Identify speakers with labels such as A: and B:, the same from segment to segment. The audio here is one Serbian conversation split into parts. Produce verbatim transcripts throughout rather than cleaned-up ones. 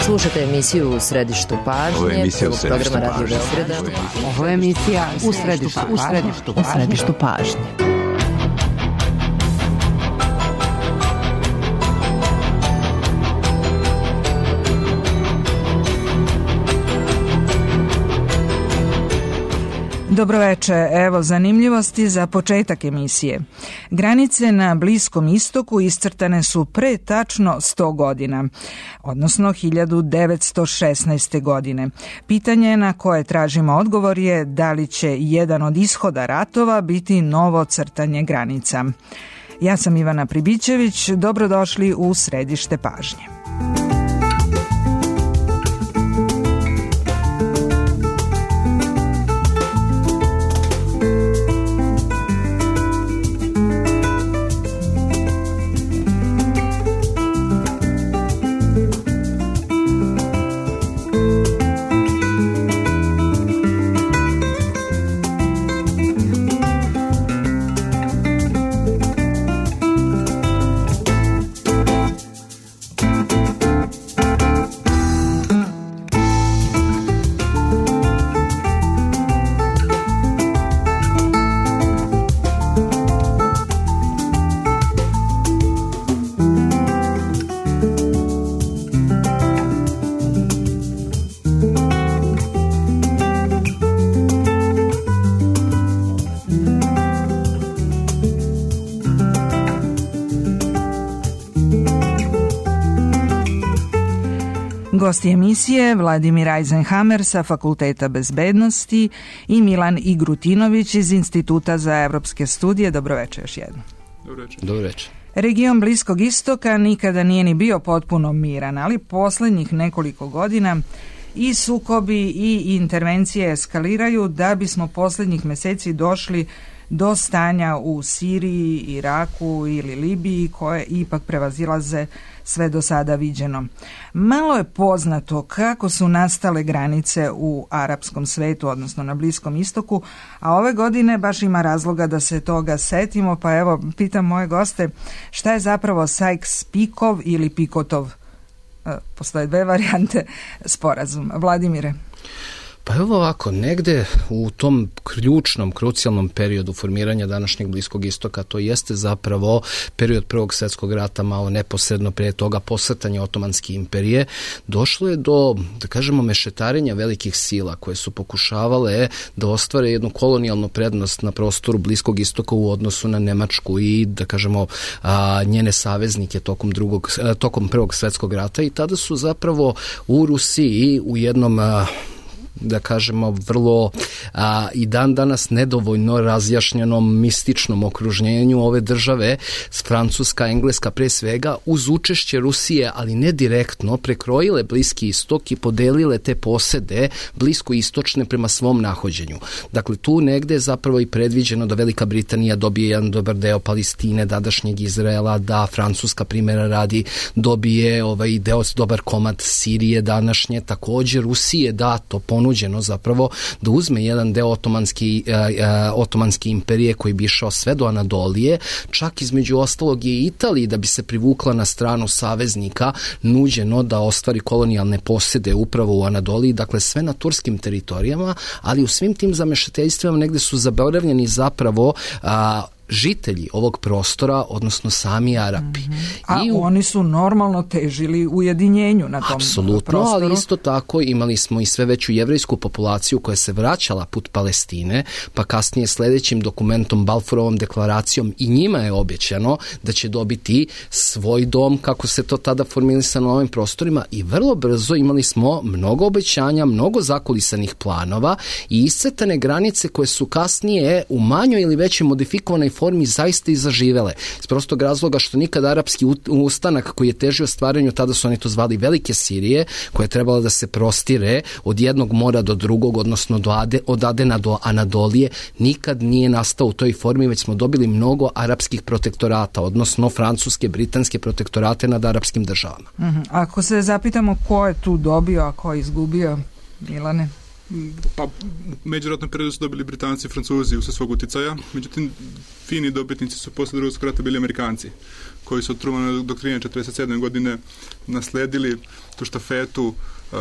A: Slušate emisiju U središtu pažnje.
B: Ovo je emisija U središtu pažnje.
A: Ovo je emisija U središtu pažnje. U središtu pažnje.
C: Dobroveče, evo zanimljivosti za početak emisije. Granice na Bliskom istoku iscrtane su pre tačno sto godina, odnosno hiljadu devetsto šesnaeste. godine. Pitanje na koje tražimo odgovor je da li će jedan od ishoda ratova biti novo crtanje granica. Ja sam Ivana Pribićević, dobrodošli u središte pažnje. Gosti emisije Vladimir Eisenhammer sa Fakulteta bezbednosti i Milan Igrutinović iz Instituta za evropske studije. Dobroveče još jednom.
B: Dobroveče.
D: Dobroveče.
C: Region Bliskog istoka nikada nije ni bio potpuno miran, ali poslednjih nekoliko godina i sukobi i intervencije eskaliraju da bismo poslednjih meseci došli do stanja u Siriji, Iraku ili Libiji koje ipak prevazilaze sve do sada viđeno. Malo je poznato kako su nastale granice u arapskom svetu, odnosno na Bliskom istoku, a ove godine baš ima razloga da se toga setimo, pa evo, pitam moje goste, šta je zapravo Sykes-Picot ili Picotov, postoje dve varijante, sporazum. Vladimire?
D: Pa evo ovako, negde u tom ključnom, krucijalnom periodu formiranja današnjeg Bliskog istoka, to jeste zapravo period Prvog svjetskog rata, malo neposredno prije toga posrtanja Otomanske imperije, došlo je do, da kažemo, mešetarenja velikih sila koje su pokušavale da ostvare jednu kolonijalnu prednost na prostoru Bliskog istoka u odnosu na Nemačku i, da kažemo, a, njene saveznike tokom, drugog, tokom Prvog svjetskog rata, i tada su zapravo u Rusiji u jednom a, da kažemo vrlo a, i dan danas nedovoljno razjašnjenom mističnom okruženju ove države, Francuska, Engleska pre svega, uz učešće Rusije, ali ne direktno, prekrojile Bliski istok i podelile te posede bliskoistočne prema svom nahođenju. Dakle, tu negde je zapravo i predviđeno da Velika Britanija dobije jedan dobar deo Palestine, dadašnjeg Izraela, da Francuska, primjera radi, dobije ovaj deo, dobar komad Sirije današnje, također Rusije da to ponuđeno zapravo da uzme jedan deo otomanski, uh, uh, otomanske imperije koji bi išao sve do Anadolije, čak između ostalog je i Italiji, da bi se privukla na stranu saveznika, nuđeno da ostvari kolonijalne posjede upravo u Anadoliji, dakle sve na turskim teritorijama, ali u svim tim zamešateljstvima negde su zaboravljeni zapravo uh, žitelji ovog prostora, odnosno sami Arapi.
C: Mm-hmm. A
D: I u...
C: oni su normalno težili ujedinjenju na tom
D: Apsolutno,
C: prostoru.
D: Ali isto tako imali smo i sve veću jevrejsku populaciju koja se vraćala put Palestine, pa kasnije sledećim dokumentom, Balfourovom deklaracijom, i njima je obećano da će dobiti svoj dom, kako se to tada formilisano na ovim prostorima, i vrlo brzo imali smo mnogo obećanja, mnogo zakulisanih planova i iscrtane granice koje su kasnije u manjoj ili većoj modifikovanoj formi zaista i zaživele. Iz prostog razloga što nikad arapski ustanak koji je težio stvaranju, tada su oni to zvali Velike Sirije, koja je trebala da se prostire od jednog mora do drugog, odnosno do Ade, od Adena do Anadolije, nikad nije nastao u toj formi, već smo dobili mnogo arapskih protektorata, odnosno francuske, britanske protektorate nad arapskim državama.
C: Mm-hmm. Ako se zapitamo ko je tu dobio, a ko je izgubio, Milane?
B: Pa, međuratnom periodu su dobili Britanci i Francuzi usled svog uticaja, međutim, fini dobitnici su posle drugog svjetskog rata bili Amerikanci, koji su od Trumanove doktrine četrdeset sedme godine nasledili tu štafetu uh,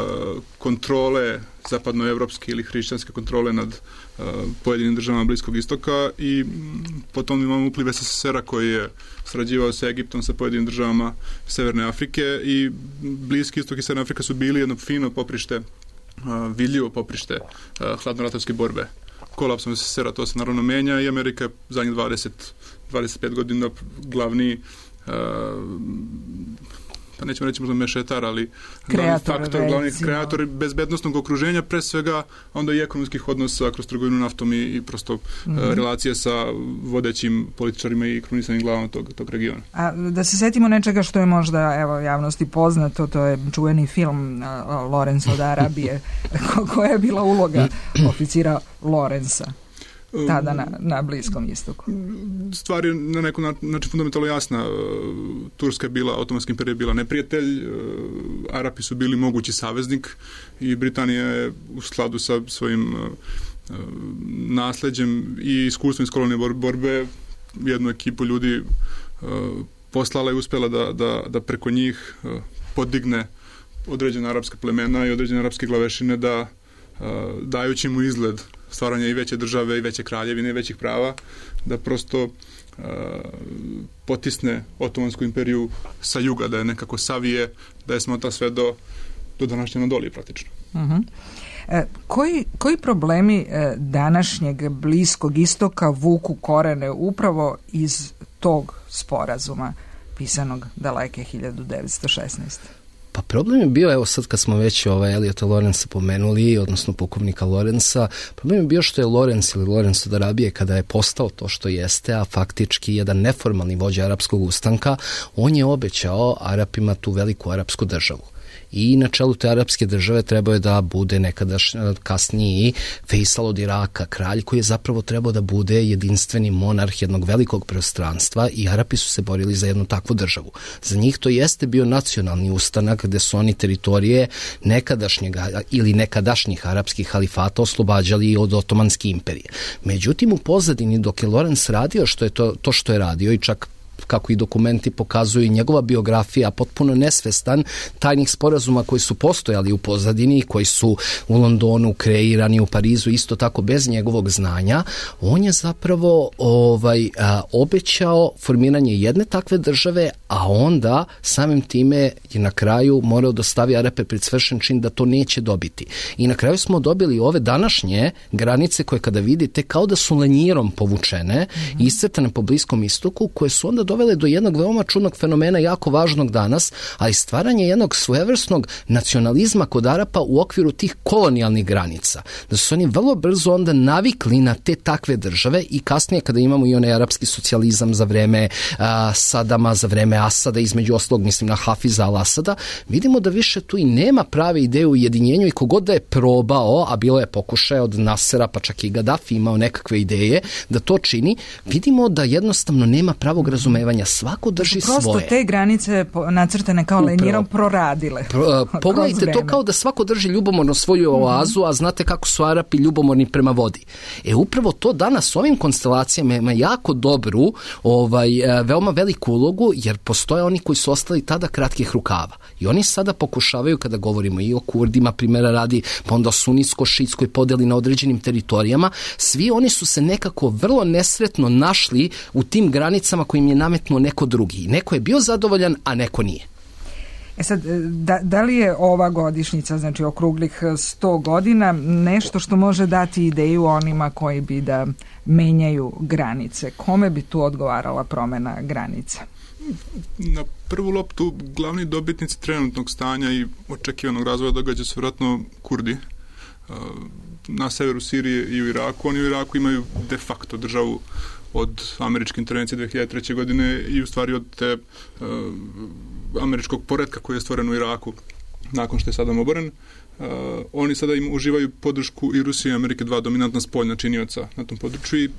B: kontrole zapadnoevropske ili hrišćanske kontrole nad uh, pojedinim državama Bliskog istoka i m, potom imamo upliv es es es era koji je sarađivao sa Egiptom, sa pojedinim državama Severne Afrike i Bliski istok i Severna Afrika su bili jedno fino poprište, uh, vidljivo poprište uh, hladnoratovske borbe. Kolapsom es es es era to se naravno menja i Amerika je zadnjih dvadeset do dvadeset pet godina glavni uh, pa nećemo reći možda mešetar, ali glavni faktor, glavni kreator bezbednostnog okruženja, pre svega onda i ekonomskih odnosa kroz trgovinu naftom i, i prosto mm-hmm. uh, relacije sa vodećim političarima i krunisanim glavama tog, tog regiona.
C: A da se setimo nečega što je možda evo javnosti poznato, to je čuveni film uh, Lorenzo od Arabije, koja je bila uloga oficira Lorenza tada na, na Bliskom istoku.
B: Stvar je na nekom način fundamentalno jasna. Turska je bila, Otomanski imperija je bila neprijatelj, Arapi su bili mogući saveznik i Britanija je u skladu sa svojim nasleđem i iskustvom iz kolonijalne borbe jednu ekipu ljudi poslala i uspjela da, da, da preko njih podigne određene arapske plemena i određene arapske glavešine da dajući mu izgled stvaranja i veće države i veće kraljevine i većih prava, da prosto uh, potisne Otomansku imperiju sa juga, da je nekako savije, da je smota sve do, do današnje Anadolije praktično.
C: Uh-huh. E, koji, koji problemi e, današnjeg Bliskog istoka vuku korene upravo iz tog sporazuma pisanog daleke hiljadu devetsto šesnaeste.
D: Pa problem je bio, evo sad kad smo već ovaj Eliota Lorenza pomenuli, odnosno pukovnika Lorenza, problem je bio što je Lorenz ili Lorenz od Arabije kada je postao to što jeste, a faktički jedan neformalni vođa arapskog ustanka, on je obećao Arapima tu veliku arapsku državu. I na čelu te arapske države trebao je da bude nekadaš kasniji Fejsal od Iraka, kralj koji je zapravo trebao da bude jedinstveni monarh jednog velikog prostranstva i Arapi su se borili za jednu takvu državu. Za njih to jeste bio nacionalni ustanak gde su oni teritorije nekadašnjeg ili nekadašnjih arapskih halifata oslobađali od Otomanske imperije. Međutim, u pozadini dok je Lorenz radio što je to, to što je radio i čak kako i dokumenti pokazuju, njegova biografija potpuno nesvestan tajnih sporazuma koji su postojali u pozadini, koji su u Londonu kreirani, u Parizu isto tako bez njegovog znanja, on je zapravo ovaj, a, obećao formiranje jedne takve države, a onda samim time je na kraju morao da stavi Arape pred svršen čin da to neće dobiti. I na kraju smo dobili ove današnje granice koje kada vidite kao da su lenjirom povučene, mm-hmm. iscrtane po Bliskom istoku, koje su onda dovele do jednog veoma čudnog fenomena jako važnog danas, ali stvaranje jednog svojevrsnog nacionalizma kod Arapa u okviru tih kolonijalnih granica. Da su oni vrlo brzo onda navikli na te takve države i kasnije kada imamo i onaj arapski socijalizam za vreme a, Sadama, za vreme Asada, između ostalog mislim na Hafiza al-Asada, vidimo da više tu i nema prave ideje u ujedinjenju i kogod da je probao, a bilo je pokušaj od Nasera, pa čak i Gaddafi imao nekakve ideje da to čini, vidimo da jednostavno nema pravog razumevanja. Svako drži
C: prosto
D: svoje.
C: Prosto te granice nacrtane kao lenjirom proradile.
D: Pro, pogledajte to kao da svako drži ljubomorno svoju oazu, a znate kako su Arapi ljubomorni prema vodi. E upravo to danas ovim konstelacijama ima jako dobru, ovaj, veoma veliku ulogu, jer postoje oni koji su ostali tada kratkih rukava. I oni sada pokušavaju, kada govorimo i o Kurdima, primjera radi, pa onda o sunijsko-šiitskoj podeli na određenim teritorijama, svi oni su se nekako vrlo nesretno našli u tim granicama kojim je nametnuo neko drugi. Neko je bio zadovoljan, a neko nije.
C: E sad, da, da li je ova godišnjica, znači okruglih sto godina, nešto što može dati ideju onima koji bi da menjaju granice? Kome bi tu odgovarala promena granica?
B: Na prvu loptu glavni dobitnici trenutnog stanja i očekivanog razvoja događa su vjerojatno Kurdi. Na severu Sirije i u Iraku. Oni u Iraku imaju de facto državu od američke intervencije dve hiljade treće. godine i u stvari od te uh, američkog poretka koji je stvoren u Iraku nakon što je Saddam oboren. Uh, oni sada im uživaju podršku i Rusije i Amerike, dva dominantna spoljna činioca na tom području i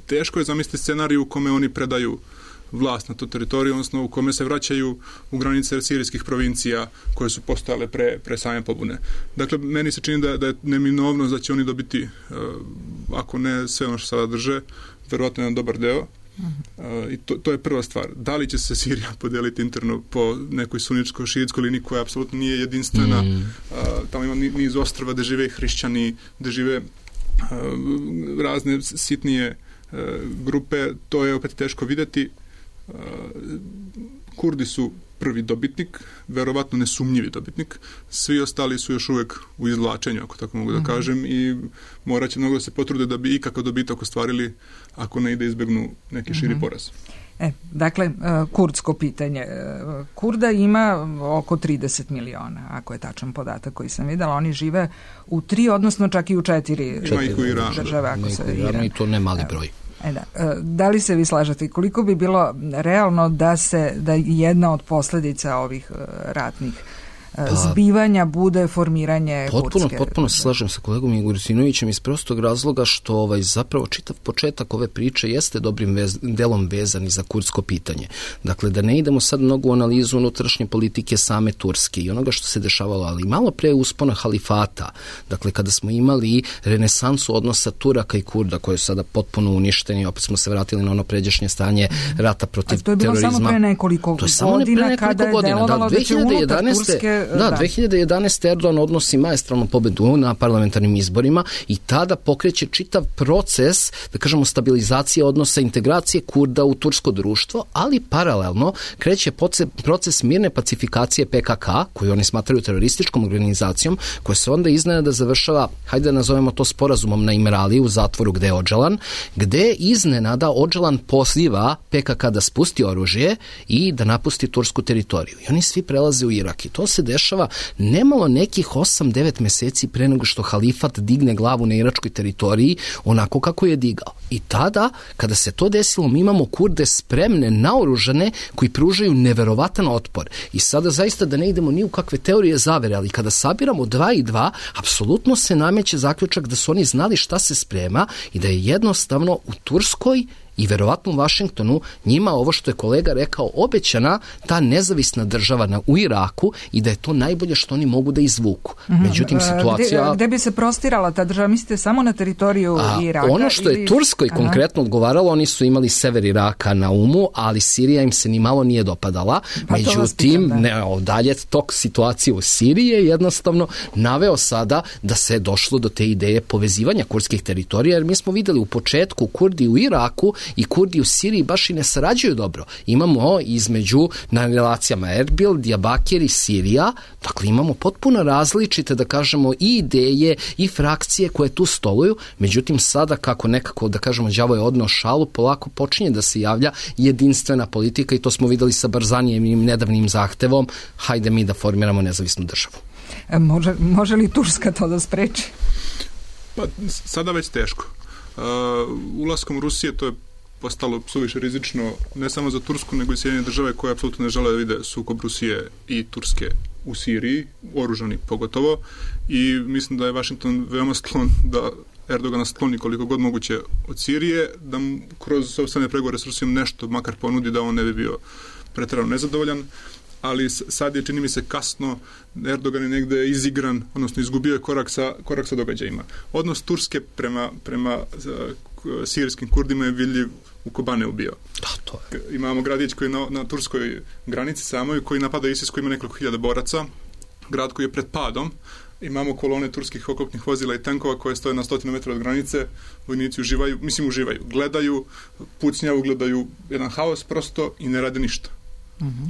B: teško je zamisliti scenariju u kome oni predaju vlast na tu teritoriju, odnosno u kome se vraćaju u granice sirijskih provincija koje su postojale pre, pre same pobune. Dakle, meni se čini da, da je neminovnost da će oni dobiti, uh, ako ne sve ono što sada drže, verovatno jedan dobar deo. Uh, i to, to je prva stvar. Da li će se Sirija podeliti interno po nekoj sunničko-šiitskoj liniji koja apsolutno nije jedinstvena. Mm. Uh, tamo ima niz ostrva gde žive hrišćani, gde žive uh, razne sitnije uh, grupe. To je opet teško videti. Uh, Kurdi su prvi dobitnik, verovatno nesumnjivi dobitnik. Svi ostali su još uvek u izvlačenju, ako tako mogu da kažem, i morat će mnogo da se potrude da bi ikakav dobitak ostvarili ako ne ide izbegnu neki širi poraz.
C: E, dakle, kurdsko pitanje. Kurda ima oko trideset miliona, ako je tačan podatak koji sam videla. Oni žive u tri, odnosno čak i u četiri, četiri države. Ako se Iran.
D: I to ne mali broj.
C: E da. Da li se vi slažete? Koliko bi bilo realno da se da jedna od posljedica ovih ratnih pa, zbivanja bude formiranje
D: potpuno,
C: kurdske?
D: Potpuno se slažem sa kolegom Igorisinovićem iz prostog razloga što ovaj, zapravo čitav početak ove priče jeste dobrim vez, delom vezan za kurdsko pitanje. Dakle, da ne idemo sad mnogo u analizu unutrašnje politike same Turske i onoga što se dešavalo, ali malo pre uspona halifata, dakle, kada smo imali renesansu odnosa Turaka i Kurda, koje je sada potpuno uništeni, opet smo se vratili na ono pređašnje stanje rata protiv terorizma.
C: A to je bilo samo pre nekoliko
D: to je samo
C: godina,
D: pre nekoliko
C: kada je
D: godina.
C: delovalo da, da će unutar Turske...
D: Da, da, dve hiljade jedanaeste. Erdogan odnosi maestralnu pobedu na parlamentarnim izborima i tada pokreće čitav proces, da kažemo, stabilizacije odnosa, integracije Kurda u tursko društvo, ali paralelno kreće proces mirne pacifikacije P K K, koju oni smatraju terorističkom organizacijom, koja se onda iznenada završava, hajde da nazovemo to sporazumom na Imrali u zatvoru gde je Odželan, gde iznenada Odželan poziva P K K da spusti oružje i da napusti tursku teritoriju. I oni svi prelaze u Irak i to se dešava nemalo nekih osam devet meseci pre nego što halifat digne glavu na iračkoj teritoriji onako kako je digao. I tada, kada se to desilo, mi imamo Kurde spremne, naoružane, koji pružaju neverovatan otpor. I sada zaista da ne idemo ni u kakve teorije zavere, ali kada sabiramo dva i dva, apsolutno se nameće zaključak da su oni znali šta se sprema i da je jednostavno u Turskoj i verovatno u Vašingtonu njima ovo što je kolega rekao obećana ta nezavisna država na, u Iraku i da je to najbolje što oni mogu da izvuku. Međutim, situacija...
C: Gde, gde bi se prostirala ta država? Mislite samo na teritoriju
D: A,
C: Iraka?
D: Ono što
C: ili...
D: je Turskoj
C: Aha. konkretno
D: odgovaralo, oni su imali sever Iraka na umu, ali Sirija im se ni malo nije dopadala.
C: Pa
D: Međutim, ne, dalje tok situacije u Siriji je jednostavno naveo sada da se je došlo do te ideje povezivanja kurdskih teritorija, jer mi smo videli u početku Kurdi u Iraku i Kurdi u Siriji baš i ne sarađuju dobro. Imamo između na relacijama Erbil, Diyarbakir i Sirija, dakle imamo potpuno različite, da kažemo, i ideje i frakcije koje tu stoluju, međutim sada kako nekako, da kažemo, đavo je odneo šalu, polako počinje da se javlja jedinstvena politika i to smo videli sa Barzanijem i nedavnim zahtevom, hajde mi da formiramo nezavisnu državu.
C: E, može, može li Turska to da spreči?
B: Pa sada već teško. Uh, ulaskom Rusije to je postalo suviše rizično ne samo za Tursku, nego i Sjedinjene države koje apsolutno ne žele da vide sukob Rusije i Turske u Siriji, oružani pogotovo, i mislim da je Washington veoma sklon da Erdogana skloni koliko god moguće od Sirije, da mu kroz sopstvene pregovore s Rusijom nešto makar ponudi da on ne bi bio preterano nezadovoljan, ali sad je, čini mi se, kasno. Erdogan je negde izigran, odnosno izgubio je korak sa, korak sa događajima. Odnos Turske prema, prema sirijskim Kurdima je vidljiv u Kobaneu bio.
D: Da, to je.
B: Imamo gradić koji je na, na turskoj granici samoj, koji napada ISIS, koji ima nekoliko hiljada boraca, grad koji je pred padom. Imamo kolone turskih oklopnih vozila i tankova koje stoje na stotinu metra od granice, vojnici uživaju, mislim uživaju, gledaju, pucnjavu, gledaju jedan haos prosto i ne rade ništa. Mhm.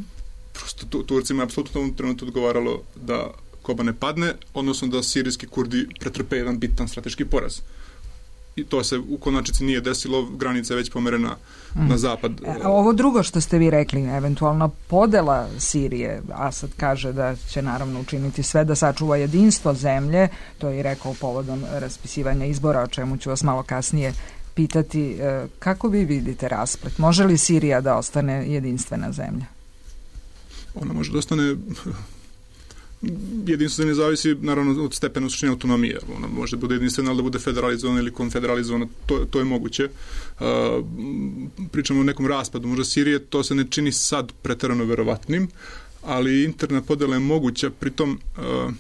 B: Prosto tu, Turcima je apsolutno u ovom trenutku odgovaralo da Kobane padne, odnosno da sirijski Kurdi pretrpe jedan bitan strateški poraz. I to se u konačnici nije desilo, granica je već pomerena mm. na zapad.
C: A ovo drugo što ste vi rekli, eventualno podela Sirije, Asad kaže da će naravno učiniti sve da sačuva jedinstvo zemlje, to je i rekao povodom raspisivanja izbora, o čemu ću vas malo kasnije pitati. Kako vi vidite rasplet? Može li Sirija da ostane jedinstvena zemlja?
B: Ona može da ostane jedinstvo ne zavisi naravno od stepena suštine autonomije. Ona može da bude jedinstvena, ali da bude federalizovana ili konfederalizovana, to, to je moguće. Uh, pričamo o nekom raspadu možda Sirije, to se ne čini sad preterano verovatnim, ali interna podela je moguća, pritom uh,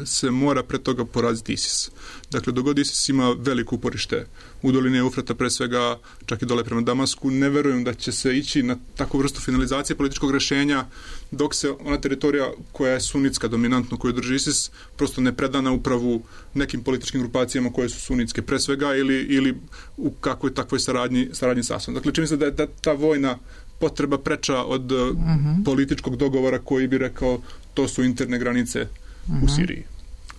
B: se mora pre toga poraziti ISIS. Dakle, dogod ISIS ima veliko uporište u dolini Eufrata, pre svega čak i dole prema Damasku, ne verujem da će se ići na takvu vrstu finalizacije političkog rešenja dok se ona teritorija koja je sunitska dominantno, koju drži ISIS, prosto ne preda na upravu nekim političkim grupacijama koje su sunitske pre svega ili, ili u kakvoj takvoj saradnji, saradnji sa Asadom. Dakle, čini se da je da, ta vojna potreba preča od uh-huh. političkog dogovora koji bi rekao to su interne granice u Siriji.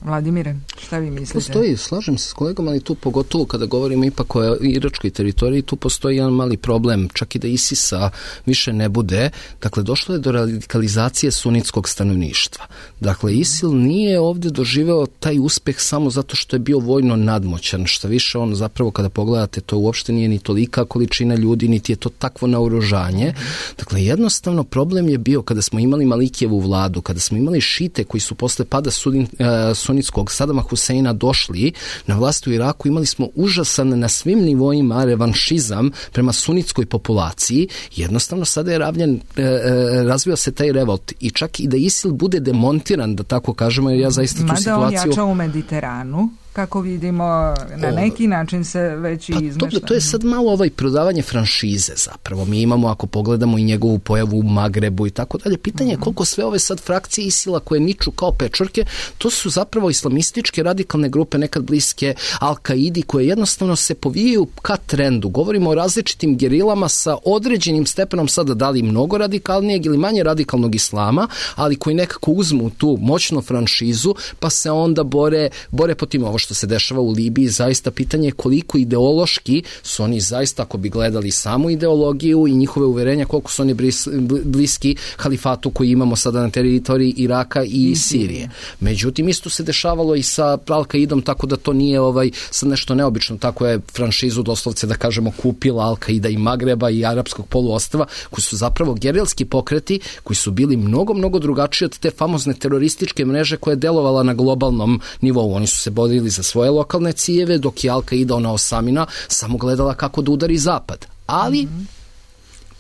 C: Vladimire, šta vi mislite?
D: Postoji, slažem se s kolegom, ali tu pogotovo kada govorimo ipak o iračkoj teritoriji, tu postoji jedan mali problem, čak i da ISIS-a više ne bude. Dakle, došlo je do radikalizacije sunitskog stanovništva. Dakle, ISIL nije ovdje doživeo taj uspeh samo zato što je bio vojno nadmoćan. Šta više, on zapravo kada pogledate, to uopšte nije ni tolika količina ljudi, niti je to takvo naoružanje. Dakle, jednostavno problem je bio kada smo imali Malikijevu vladu, kada smo imali šite koji su posle pada sudin, uh, sunitskog Sadama Huseina došli na vlast u Iraku, imali smo užasan na svim nivoima revanšizam prema sunitskoj populaciji. Jednostavno sada je ravljen, e, razvio se taj revolt i čak i da ISIL bude demontiran, da tako kažemo, jer ja zaista tu
C: Mada
D: situaciju...
C: Mada on jača u Mediteranu, kako vidimo, na neki način se već i
D: pa
C: izmešta.
D: To, to je sad malo ovaj prodavanje franšize zapravo. Mi imamo, ako pogledamo i njegovu pojavu u Magrebu i tako dalje, pitanje je koliko sve ove sad frakcije ISIL-a koje niču kao pečurke, to su zapravo islamističke radikalne grupe nekad bliske Al-Kaidi koje jednostavno se povijaju ka trendu. Govorimo o različitim gerilama sa određenim stepenom sada da li mnogo radikalnijeg ili manje radikalnog islama, ali koji nekako uzmu tu moćnu franšizu pa se onda bore, bore po tim. Ovo što se dešava u Libiji, zaista pitanje je koliko ideološki su oni zaista, ako bi gledali samu ideologiju i njihove uverenja, koliko su oni bliski halifatu koji imamo sada na teritoriji Iraka i Sirije. Međutim, isto se dešavalo i sa Al-Kaidom, tako da to nije ovaj sad nešto neobično. Tako je franšizu doslovce, da kažemo, kupila Al-Kaida i Magreba i arapskog poluostrva, koji su zapravo gerilski pokreti, koji su bili mnogo, mnogo drugačiji od te famozne terorističke mreže koja je delovala na globalnom nivou. Oni su se borili za svoje lokalne ciljeve, dok je Al-Kaida, ona Osamina, samo gledala kako da udari zapad. Ali mm-hmm.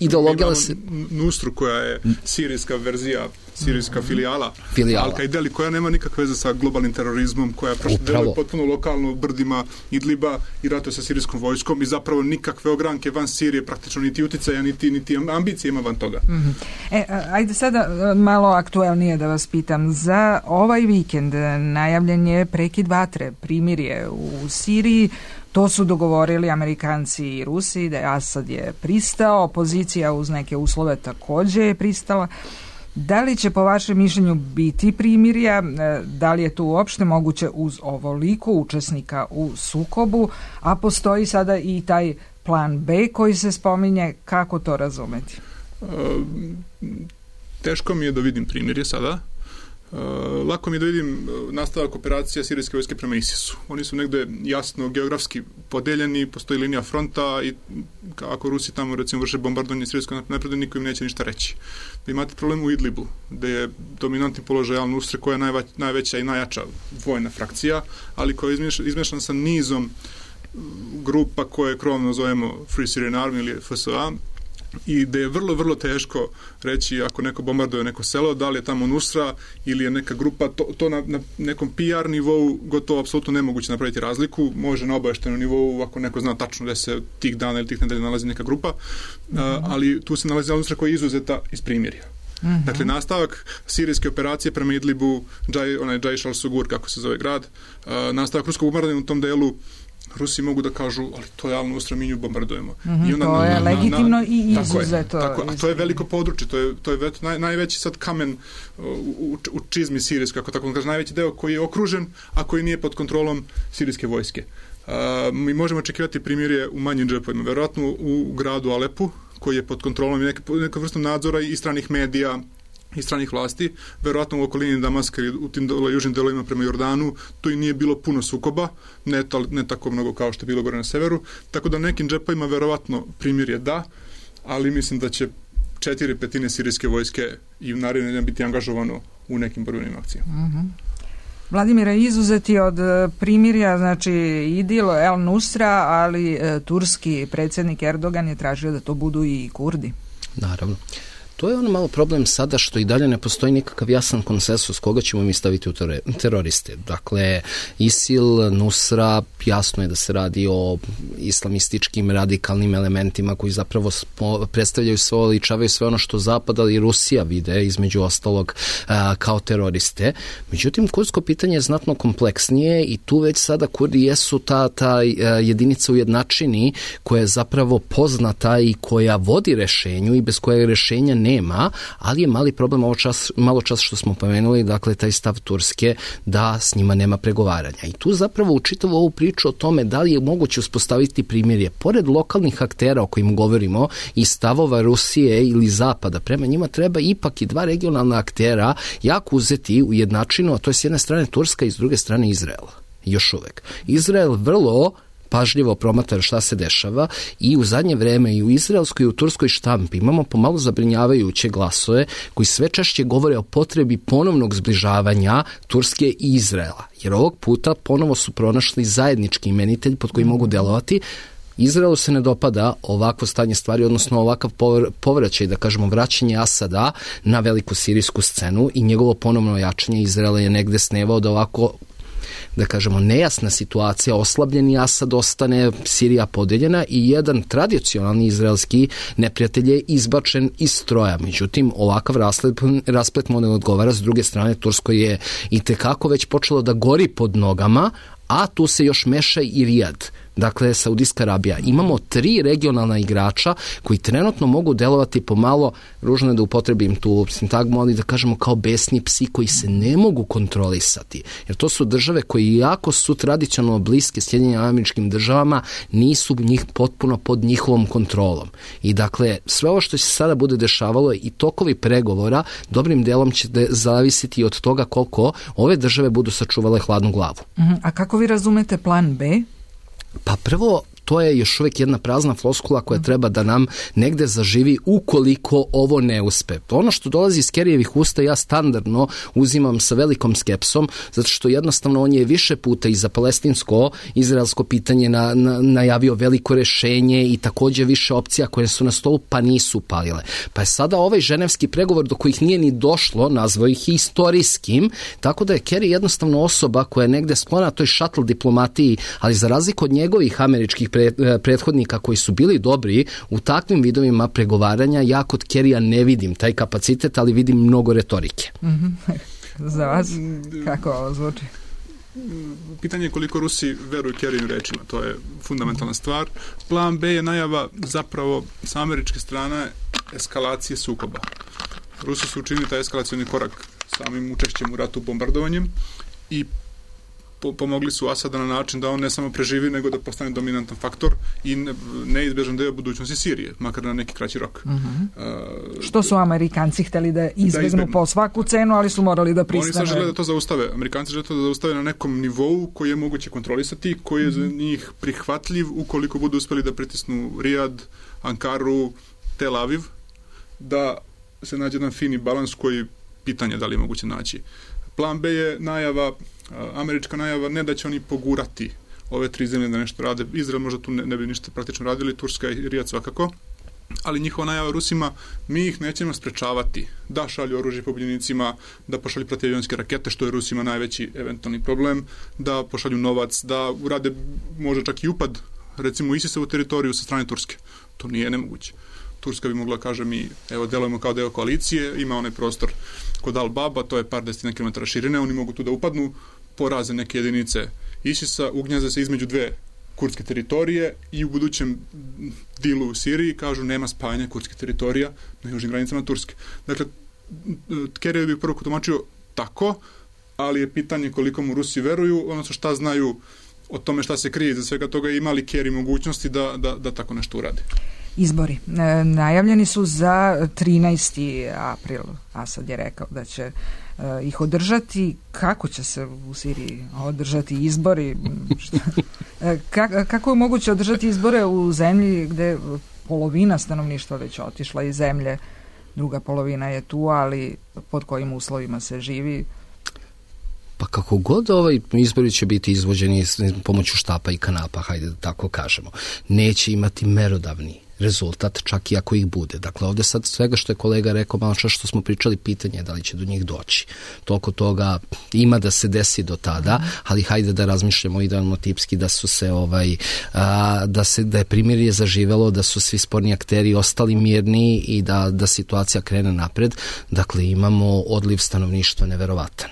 D: ideologija se...
B: Nusru koja je sirijska verzija, sirijska filijala,
D: filijala.
B: Al-Kaida, koja nema nikakve veze sa globalnim terorizmom, koja je deluje potpuno lokalno u brdima Idliba i ratuje sa sirijskom vojskom i zapravo nikakve ogranke van Sirije, praktično niti uticaja, niti, niti ambicije ima van toga.
C: Mm-hmm. E, ajde sada malo aktuelnije da vas pitam. Za ovaj vikend najavljen je prekid vatre, primirje u Siriji. To su dogovorili Amerikanci i Rusi, da je Asad je pristao, opozicija uz neke uslove također je pristala. Da li će po vašem mišljenju biti primirja, da li je to uopšte moguće uz ovoliko učesnika u sukobu, a postoji sada i taj plan B koji se spominje, kako to razumeti?
B: E, teško mi je da vidim primirje sada. Uh, lako mi je da vidim nastavak operacija sirijske vojske prema ISIS-u. Oni su negde jasno geografski podeljeni, postoji linija fronta i ako Rusi tamo recimo vrše bombardovanje sirijskog napredu, niko im neće ništa reći. Vi imate problem u Idlibu, gde je dominantni položaj Al-Nusre koja je najva, najveća i najjača vojna frakcija, ali koja je izmešana sa nizom grupa koje krovno zovemo Free Syrian Army ili F S A, i da je vrlo, vrlo teško reći ako neko bombarduje neko selo, da li je tamo Nusra ili je neka grupa, to, to na, na nekom P R nivou gotovo apsolutno nemoguće napraviti razliku, može na obaveštenom nivou ako neko zna tačno da se tih dana ili tih nedelja nalazi neka grupa, mm-hmm. a, ali tu se nalazi Nusra koja je izuzeta iz primirja. Mm-hmm. Dakle, nastavak sirijske operacije prema Idlibu, Džaj, onaj Džajš al-Sugur, kako se zove grad, a, nastavak ruskog bombardovanja u tom delu, Rusi mogu da kažu, ali to je Al-Nusra, mi nju bombardujemo.
C: Mm-hmm, I onda to na, je na, legitimno na, i izuzeto.
B: Tako je, tako, a to je veliko područje, to je, to je vet, naj, najveći sad kamen u, u, u čizmi sirijske, kako tako kaže, najveći deo koji je okružen, a koji nije pod kontrolom sirijske vojske. Uh, mi možemo očekivati primirje u manjim džepovima, verovatno u gradu Alepu, koji je pod kontrolom neke, neka vrstom nadzora i stranih medija, i stranih vlasti, verovatno u okolini Damaska i u tim dole, južnim delovima prema Jordanu, to i nije bilo puno sukoba, ne, to, ne tako mnogo kao što je bilo gore na severu, tako da nekim džepovima verovatno primirje da, ali mislim da će četiri petine sirijske vojske i u naredne dana biti angažovano u nekim borbenim akcijama.
C: Mm-hmm. Vladimira, izuzeti od primirja, znači Idil, El Nusra, ali e, turski predsjednik Erdogan je tražio da to budu i Kurdi.
D: Naravno. To je ono malo problem sada što i dalje ne postoji nikakav jasan konsensus koga ćemo mi staviti u teroriste. Dakle, ISIL, Nusra, jasno je da se radi o islamističkim radikalnim elementima koji zapravo predstavljaju sve, ličavaju sve ono što Zapad, ali i Rusija vide između ostalog a, kao teroriste. Međutim, kurdsko pitanje je znatno kompleksnije i tu već sada Kurdi jesu ta, ta jedinica u jednačini koja je zapravo poznata i koja vodi rešenju i bez koje rešenja ne nema, ali je mali problem ovo čas, malo čas što smo pomenuli, dakle taj stav Turske da s njima nema pregovaranja. I tu zapravo u čitavu ovu priču o tome da li je moguće uspostaviti primirje, pored lokalnih aktera o kojim govorimo i stavova Rusije ili Zapada, prema njima treba ipak i dva regionalna aktera jako uzeti u jednačinu, a to je s jedne strane Turska i s druge strane Izrael. Još uvek. Izrael vrlo pažljivo promatra šta se dešava i u zadnje vreme i u izraelskoj i u turskoj štampi imamo pomalo zabrinjavajuće glasove koji sve češće govore o potrebi ponovnog zbližavanja Turske i Izraela. Jer ovog puta ponovo su pronašli zajednički imenitelj pod koji mogu delovati. Izraelu se ne dopada ovakvo stanje stvari, odnosno ovakav povraćaj, da kažemo vraćanje Asada na veliku sirijsku scenu i njegovo ponovno jačanje Izraela je negde snevao da ovako, da kažemo, nejasna situacija, oslabljeni Asad ostane, Sirija podeljena i jedan tradicionalni izraelski neprijatelj je izbačen iz stroja. Međutim, ovakav rasplet, rasplet mu ne odgovara. S druge strane, Tursko je i tekako već počelo da gori pod nogama, a tu se još meša i Rijad. Dakle, Saudijska Arabija. Imamo tri regionalna igrača koji trenutno mogu delovati pomalo, ružno je da upotrebim tu sintagmu, ali da kažemo kao besni psi koji se ne mogu kontrolisati. Jer to su države koji jako su tradicionalno bliske Sjedinjenim Američkim Državama, nisu njih potpuno pod njihovom kontrolom. I dakle, sve ovo što se sada bude dešavalo i tokovi pregovora dobrim delom će de zavisiti od toga koliko ove države budu sačuvale hladnu glavu.
C: A kako vi razumete plan B?
D: Pa prvo, to je još uvijek jedna prazna floskula koja treba da nam negde zaživi ukoliko ovo ne uspe. Ono što dolazi iz Kerijevih usta ja standardno uzimam sa velikom skepsom, zato što jednostavno on je više puta i za palestinsko-izraelsko pitanje na, na, najavio veliko rešenje i također više opcija koje su na stolu pa nisu palile. Pa je sada ovaj ženevski pregovor do kojih nije ni došlo, nazvao ih istorijskim, tako da je Kerry jednostavno osoba koja je negde sklona toj šatl diplomatiji, ali za razliku od njegovih američkih prethodnika koji su bili dobri u takvim vidovima pregovaranja, ja kod Kerija ne vidim taj kapacitet, ali vidim mnogo retorike.
C: Mm-hmm. Za vas, kako ovo zvuči?
B: Pitanje je koliko Rusi veruju Kerijim rečima, to je fundamentalna stvar. Plan B je najava zapravo sa američke strane eskalacije sukoba. Rusi su učinili taj eskalacioni korak samim učešćem u ratu bombardovanjem i pomogli su Asada na način da on ne samo preživi, nego da postane dominantan faktor i neizbježan deo budućnosti Sirije, makar na neki kraći rok.
C: Uh-huh. Uh, Što su Amerikanci hteli da izbjegnu po svaku cenu, ali su morali da pristane.
B: Oni sad žele da to zaustave. Amerikanci žele to da zaustave na nekom nivou koji je moguće kontrolisati, koji je uh-huh. za njih prihvatljiv ukoliko budu uspeli da pritisnu Rijad, Ankaru, Tel Aviv, da se nađe jedan fini balans koji pitanje da li je moguće naći. Plan B je najava, američka najava, ne da će oni pogurati ove tri zemlje da nešto rade. Izrael možda tu ne, ne bi ništa praktično radili, Turska i Rijad svakako, ali njihova najava Rusima, mi ih nećemo sprečavati da šalju oružje pobunjenicima, da pošalju protivavionske rakete, što je Rusima najveći eventualni problem, da pošalju novac, da urade možda čak i upad, recimo ISIS-ovu teritoriju sa strane Turske. To nije nemoguće. Turska bi mogla, kaže, mi evo delujemo kao deo koalicije, ima onaj prostor kod Al-Baba, to je par desetina kilometara širine, oni mogu tu da upadnu, poraze neke jedinice ISIS-a, ugnjaze se između dve kurdske teritorije i u budućem dilu u Siriji kažu nema spajanja kurdske teritorija na južnim granicama Turske. Dakle, Kerry bi prvo tumačio tako, ali je pitanje koliko mu Rusi veruju, odnosno šta znaju o tome šta se krije iza svega toga i ima li Kerry mogućnosti da, da, da tako nešto uradi.
C: Izbori. E, najavljeni su za trinaesti april. Asad je rekao da će e, ih održati. Kako će se u Siriji održati izbori? e, ka, kako je moguće održati izbore u zemlji gde polovina stanovništva već otišla iz zemlje? druga polovina je tu, ali pod kojim uslovima se živi?
D: Pa kako god ovaj izbori će biti izvođeni pomoću štapa i kanapa, hajde da tako kažemo, neće imati merodavni rezultat, čak i ako ih bude. Dakle, ovdje sad svega što je kolega rekao, malo što smo pričali, pitanje je da li će do njih doći. Toliko toga ima da se desi do tada, ali hajde da razmišljamo idealno tipski da su se ovaj, a, da se da je primirje zaživelo, da su svi sporni akteri ostali mirni i da, da situacija krene napred. Dakle, imamo odliv stanovništva neverovatan.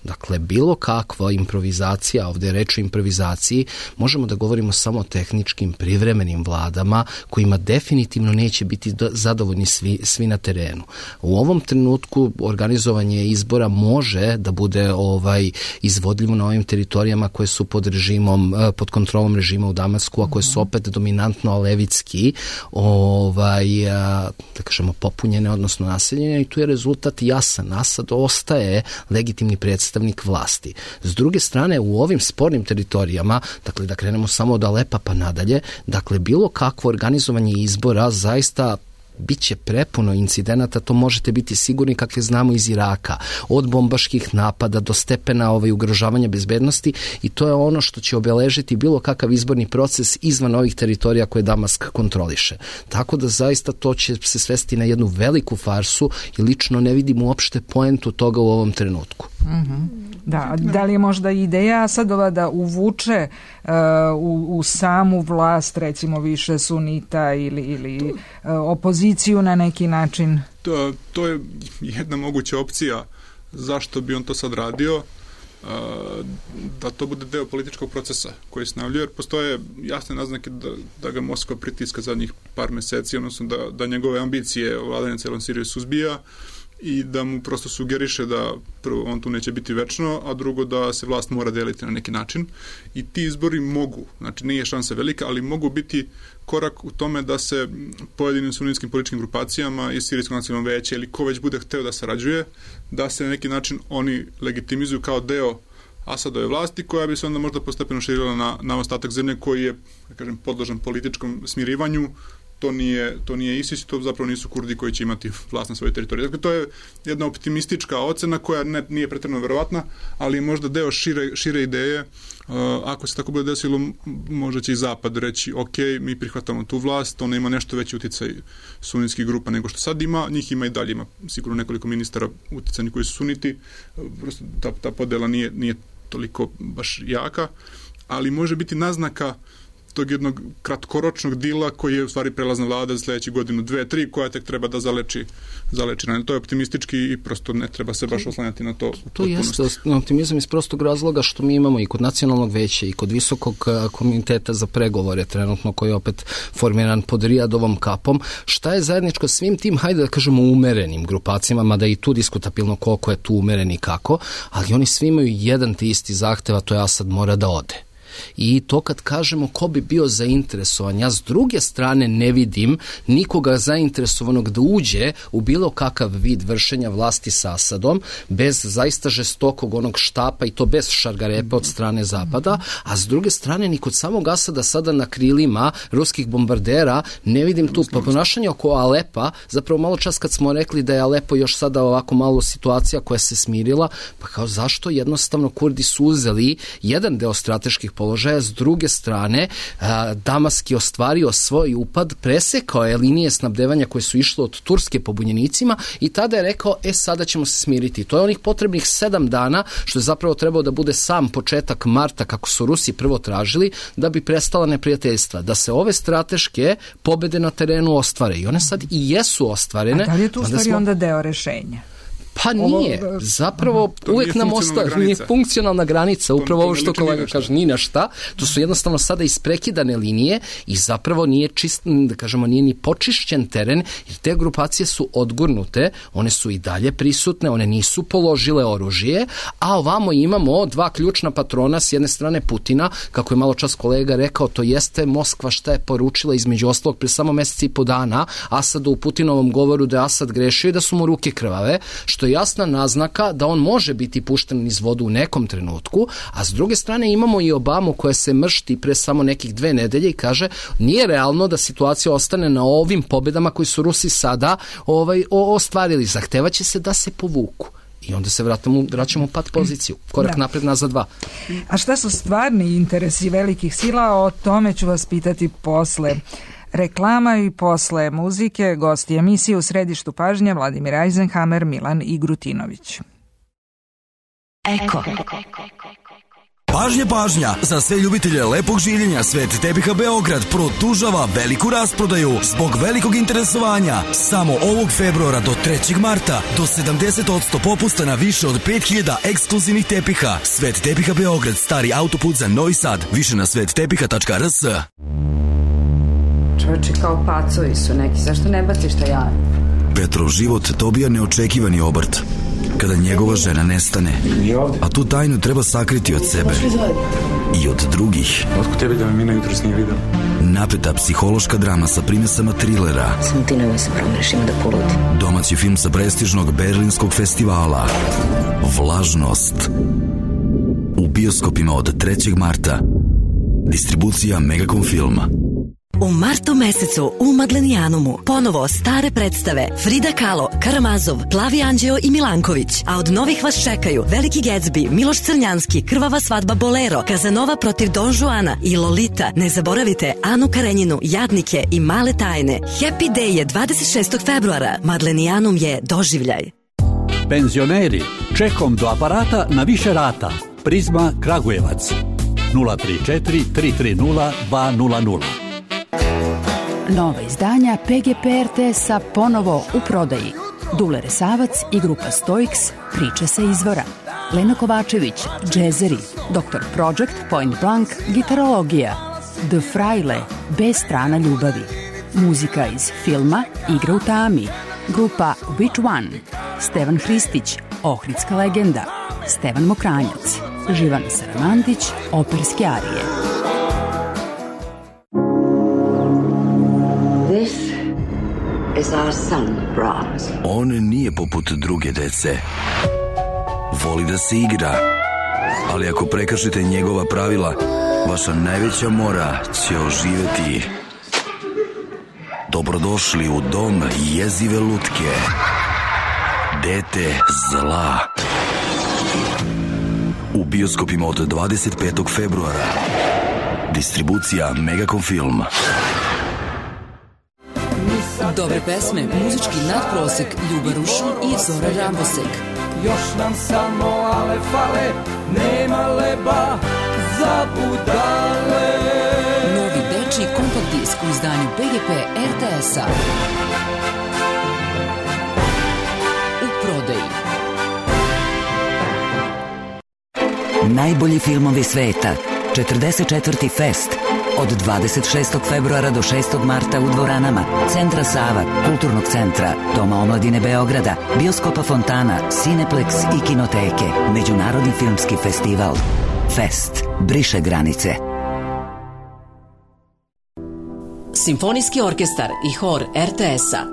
D: Dakle, bilo kakva improvizacija, ovdje je reč o improvizaciji, možemo da govorimo samo o tehničkim privremenim vladama kojima definitivno neće biti zadovoljni svi, svi na terenu. U ovom trenutku organizovanje izbora može da bude ovaj izvodljivo na ovim teritorijama koje su pod režimom, pod kontrolom režima u Damasku, a koje su opet dominantno levitski, ovaj, da kažemo, popunjene, odnosno naseljene, i tu je rezultat jasan. Asad ostaje legitimni predstavnik vlasti. S druge strane, u ovim spornim teritorijama, dakle da krenemo samo od Alepa pa nadalje, dakle bilo kakvo organizovanje izbora zaista bit će prepuno incidenata, to možete biti sigurni, kakve znamo iz Iraka, od bombaških napada do stepena ovaj, ugrožavanja bezbednosti, i to je ono što će obeležiti bilo kakav izborni proces izvan ovih teritorija koje Damask kontroliše. Tako da zaista to će se svesti na jednu veliku farsu i lično ne vidim uopšte poentu toga u ovom trenutku.
C: Mm-hmm. Da, da li je možda ideja Asadova da uvuče uh, u, u samu vlast recimo više sunita ili, ili uh, opoziciju na neki način?
B: To, to je jedna moguća opcija. Zašto bi on to sad radio? Uh, da to bude deo političkog procesa koji se najavljuje, jer postoje jasne naznake da, da ga Moskva pritiska zadnjih par meseci, odnosno da, da njegove ambicije vladanja celom Siriju suzbija i da mu prosto sugeriše da prvo on tu neće biti večno, a drugo da se vlast mora deliti na neki način. I ti izbori mogu, znači nije šansa velika, ali mogu biti korak u tome da se pojedinim sunnitskim političkim grupacijama i Sirijsko nacionalno veće ili ko već bude hteo da sarađuje, da se na neki način oni legitimizuju kao deo Asadove vlasti, koja bi se onda možda postepeno širila na, na ostatak zemlje koji je, da kažem, podložan političkom smirivanju. To nije, to nije ISIS, to zapravo nisu Kurdi koji će imati vlast na svojoj teritoriji. Dakle, to je jedna optimistička ocena koja ne, nije pretjerano verovatna, ali možda deo šire, šire ideje. Uh, ako se tako bude desilo, možda će i Zapad reći, ok, mi prihvatamo tu vlast, ona ima nešto veći uticaj sunnitskih grupa nego što sad ima, njih ima i dalje, ima sigurno nekoliko ministara uticajni koji su suniti, prosto ta, ta podela nije, nije toliko baš jaka, ali može biti naznaka tog jednog kratkoročnog dila koji je u stvari prelazna vlada za sljedeći godinu, dve, tri, koja tek treba da zaleči, zaleči. To je optimistički i prosto ne treba se baš oslanjati na to.
D: To jeste optimizam iz prostog razloga što mi imamo i kod nacionalnog veća i kod visokog komiteta za pregovore trenutno koji je opet formiran pod Rijadovom kapom. Šta je zajedničko svim tim, hajde da kažemo, umerenim grupacijama, mada i tu diskutabilno koliko je tu umeren i kako, ali oni svi imaju jedan te isti zahtev, a to je Asad mora da ode. I to kad kažemo ko bi bio zainteresovan, ja s druge strane ne vidim nikoga zainteresovanog da uđe u bilo kakav vid vršenja vlasti sa Asadom bez zaista žestokog onog štapa i to bez šargarepa od strane Zapada, a s druge strane ni kod samog Asada sada na krilima ruskih bombardera ne vidim tu ponašanje oko Alepa. Zapravo malo čas kad smo rekli da je Alepo još sada ovako malo situacija koja se smirila, pa kao zašto jednostavno Kurdi su uzeli jedan deo strateških položaja, s druge strane Damask je ostvario svoj upad, presekao je linije snabdevanja koje su išle od Turske pobunjenicima i tada je rekao, e sada ćemo se smiriti. To je onih potrebnih sedam dana, što je zapravo trebao da bude sam početak marta, kako su Rusi prvo tražili, da bi prestala neprijateljstva, da se ove strateške pobede na terenu ostvare. I one sad i jesu ostvarene.
C: A da li je tu u stvari onda deo rešenja?
D: Pa nije, zapravo
B: to
D: uvijek nam ostaje, nije funkcionalna granica, upravo ovo što kolega kaže, ni na šta, to su jednostavno sada isprekidane linije i zapravo nije čist, da kažemo, nije ni počišćen teren, jer te grupacije su odgurnute, one su i dalje prisutne, one nisu položile oružje, a ovamo imamo dva ključna patrona, s jedne strane Putina, kako je malo čas kolega rekao, to jeste Moskva šta je poručila između ostalog pre samo meseci i po dana Asadu u Putinovom govoru da je Asad grešio i da su mu ruke krvave, što je jasna naznaka da on može biti pušten niz vodu u nekom trenutku, a s druge strane imamo i Obamu koja se mršti pre samo nekih dve nedelje i kaže nije realno da situacija ostane na ovim pobedama koji su Rusi sada ovaj, ostvarili. Zahtevaće se da se povuku. I onda se vratimo, vraćamo u pat poziciju. Korak da. napred, nazad dva.
C: A šta su stvarni interesi velikih sila? O tome ću vas pitati posle reklama i posle muzike. Gosti emisije u središtu pažnje Vladimir Eisenhammer, Milan Igrutinović.
E: Eko. Pažnja, pažnja! Za sve ljubitelje lepog življenja Svet tepiha Beograd produžava veliku rasprodaju zbog velikog interesovanja. Samo ovog februara do trećeg marta do sedamdeset posto popusta na više od pet hiljada ekskluzivnih tepiha. Svet tepiha Beograd, stari autoput za Novi Sad. Više na svet tepiha tačka r s.
F: Čovječe, kao pacovi su neki, zašto ne baciš šta ja?
E: Petrov život dobija neočekivani obrt kada njegova žena nestane. A tu tajnu treba sakriti od sebe i od drugih.
G: Otko tebi da me Mina jutros nije vidio?
E: Napeta psihološka drama sa primesama trilera.
H: Samo ti nemoj se promeniš, ima da poludi.
E: Domaći film sa prestižnog berlinskog festivala Vlažnost. U bioskopima od trećeg marta. Distribucija Megacom Filma.
I: U martu mesecu u Madlenijanumu ponovo stare predstave Frida Kahlo, Karamazov, Plavi Anđeo i Milanković, a od novih vas čekaju Veliki Gatsby, Miloš Crnjanski, Krvava svadba Bolero, Kazanova protiv Don Juana i Lolita. Ne zaboravite Anu Karenjinu, Jadnike i Male tajne. Happy Day je dvadeset šestog februara. Madlenijanum je doživljaj.
J: Penzioneri, čekom do aparata na više rata. Prizma Kragujevac nula tri četiri tri tri nula dva nula nula.
K: Nova izdanja P G P R T S-a ponovo u prodaji. Dule Resavac i grupa Stoiks, Priče sa izvora. Lena Kovačević, džezeri. doktor Project, Point Blank, gitarologija. The Fraile, B strana ljubavi. Muzika iz filma Igra u tami. Grupa Which One. Stevan Hristić, Ohridska legenda. Stevan Mokranjac. Živana Saramandić, operske arije.
L: Is our son, Brahms.
E: On nije poput druge dece. Voli da se igra, ali ako prekršite njegova pravila, vaša najveća mora će oživeti. Dobrodošli u dom jezive lutke. Dete zla. U bioskopima od dvadeset petog februara. Distribucija Megacom Film.
M: Dobre pesme, muzički nadprosek, Ljuba Rušun i Zora Rambosek.
N: Još nam samo ale fale, nema leba za budale.
M: Novi dečiji kompakt disk u izdanju P G P R T S-a. U prodaji.
O: Najbolji filmovi sveta. četrdeset četvrti Fest. Od dvadeset šestog februara do šestog marta u dvoranama Centra Sava, Kulturnog centra, Doma omladine Beograda, Bioskopa Fontana, Cineplex i Kinoteke. Međunarodni filmski festival. Fest. Briše granice.
M: Simfonijski orkestar i hor R T S-a.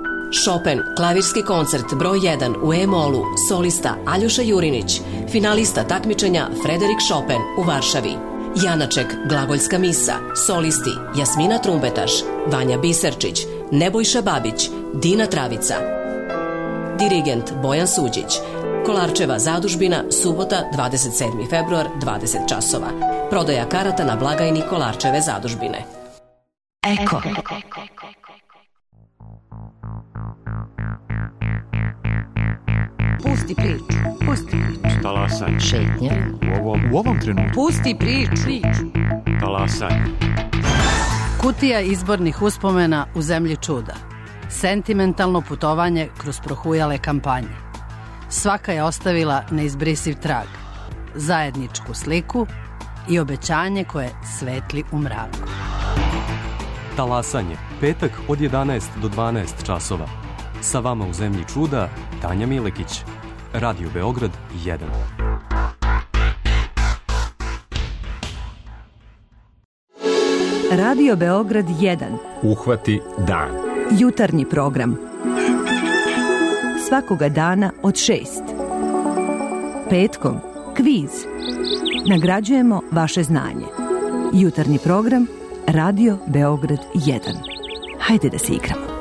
M: Chopin, klavirski koncert broj jedan u E-molu, solista Aljoša Jurinić, finalista takmičenja Frederik Chopin u Varšavi. Janaček, Glagoljska misa, solisti Jasmina Trumbetaš, Vanja Biserčić, Nebojša Babić, Dina Travica. Dirigent Bojan Suđić. Kolarčeva zadužbina, subota, dvadeset sedmi februar, dvadeset časova. Prodaja karata na blagajni Kolarčeve zadužbine.
I: Eko.
P: Pusti priču, pusti priču.
Q: Talasanje.
P: Šetnje.
Q: U ovom, u ovom trenutku.
P: Pusti priču.
Q: Talasanje.
R: Kutija izbornih uspomena u zemlji čuda. Sentimentalno putovanje kroz prohujale kampanje. Svaka je ostavila neizbrisiv trag. Zajedničku sliku i obećanje koje svetli u mraku.
Q: Talasanje. Petak od jedanaest do dvanaest časova. Sa vama u zemlji čuda, Tanja Milekić. Radio Beograd jedan.
S: Radio Beograd jedan.
T: Uhvati dan.
S: Jutarnji program. Svakoga dana od šest.
I: Petkom kviz. Nagrađujemo vaše znanje. Jutarnji program Radio Beograd jedan. Hajde da se igramo.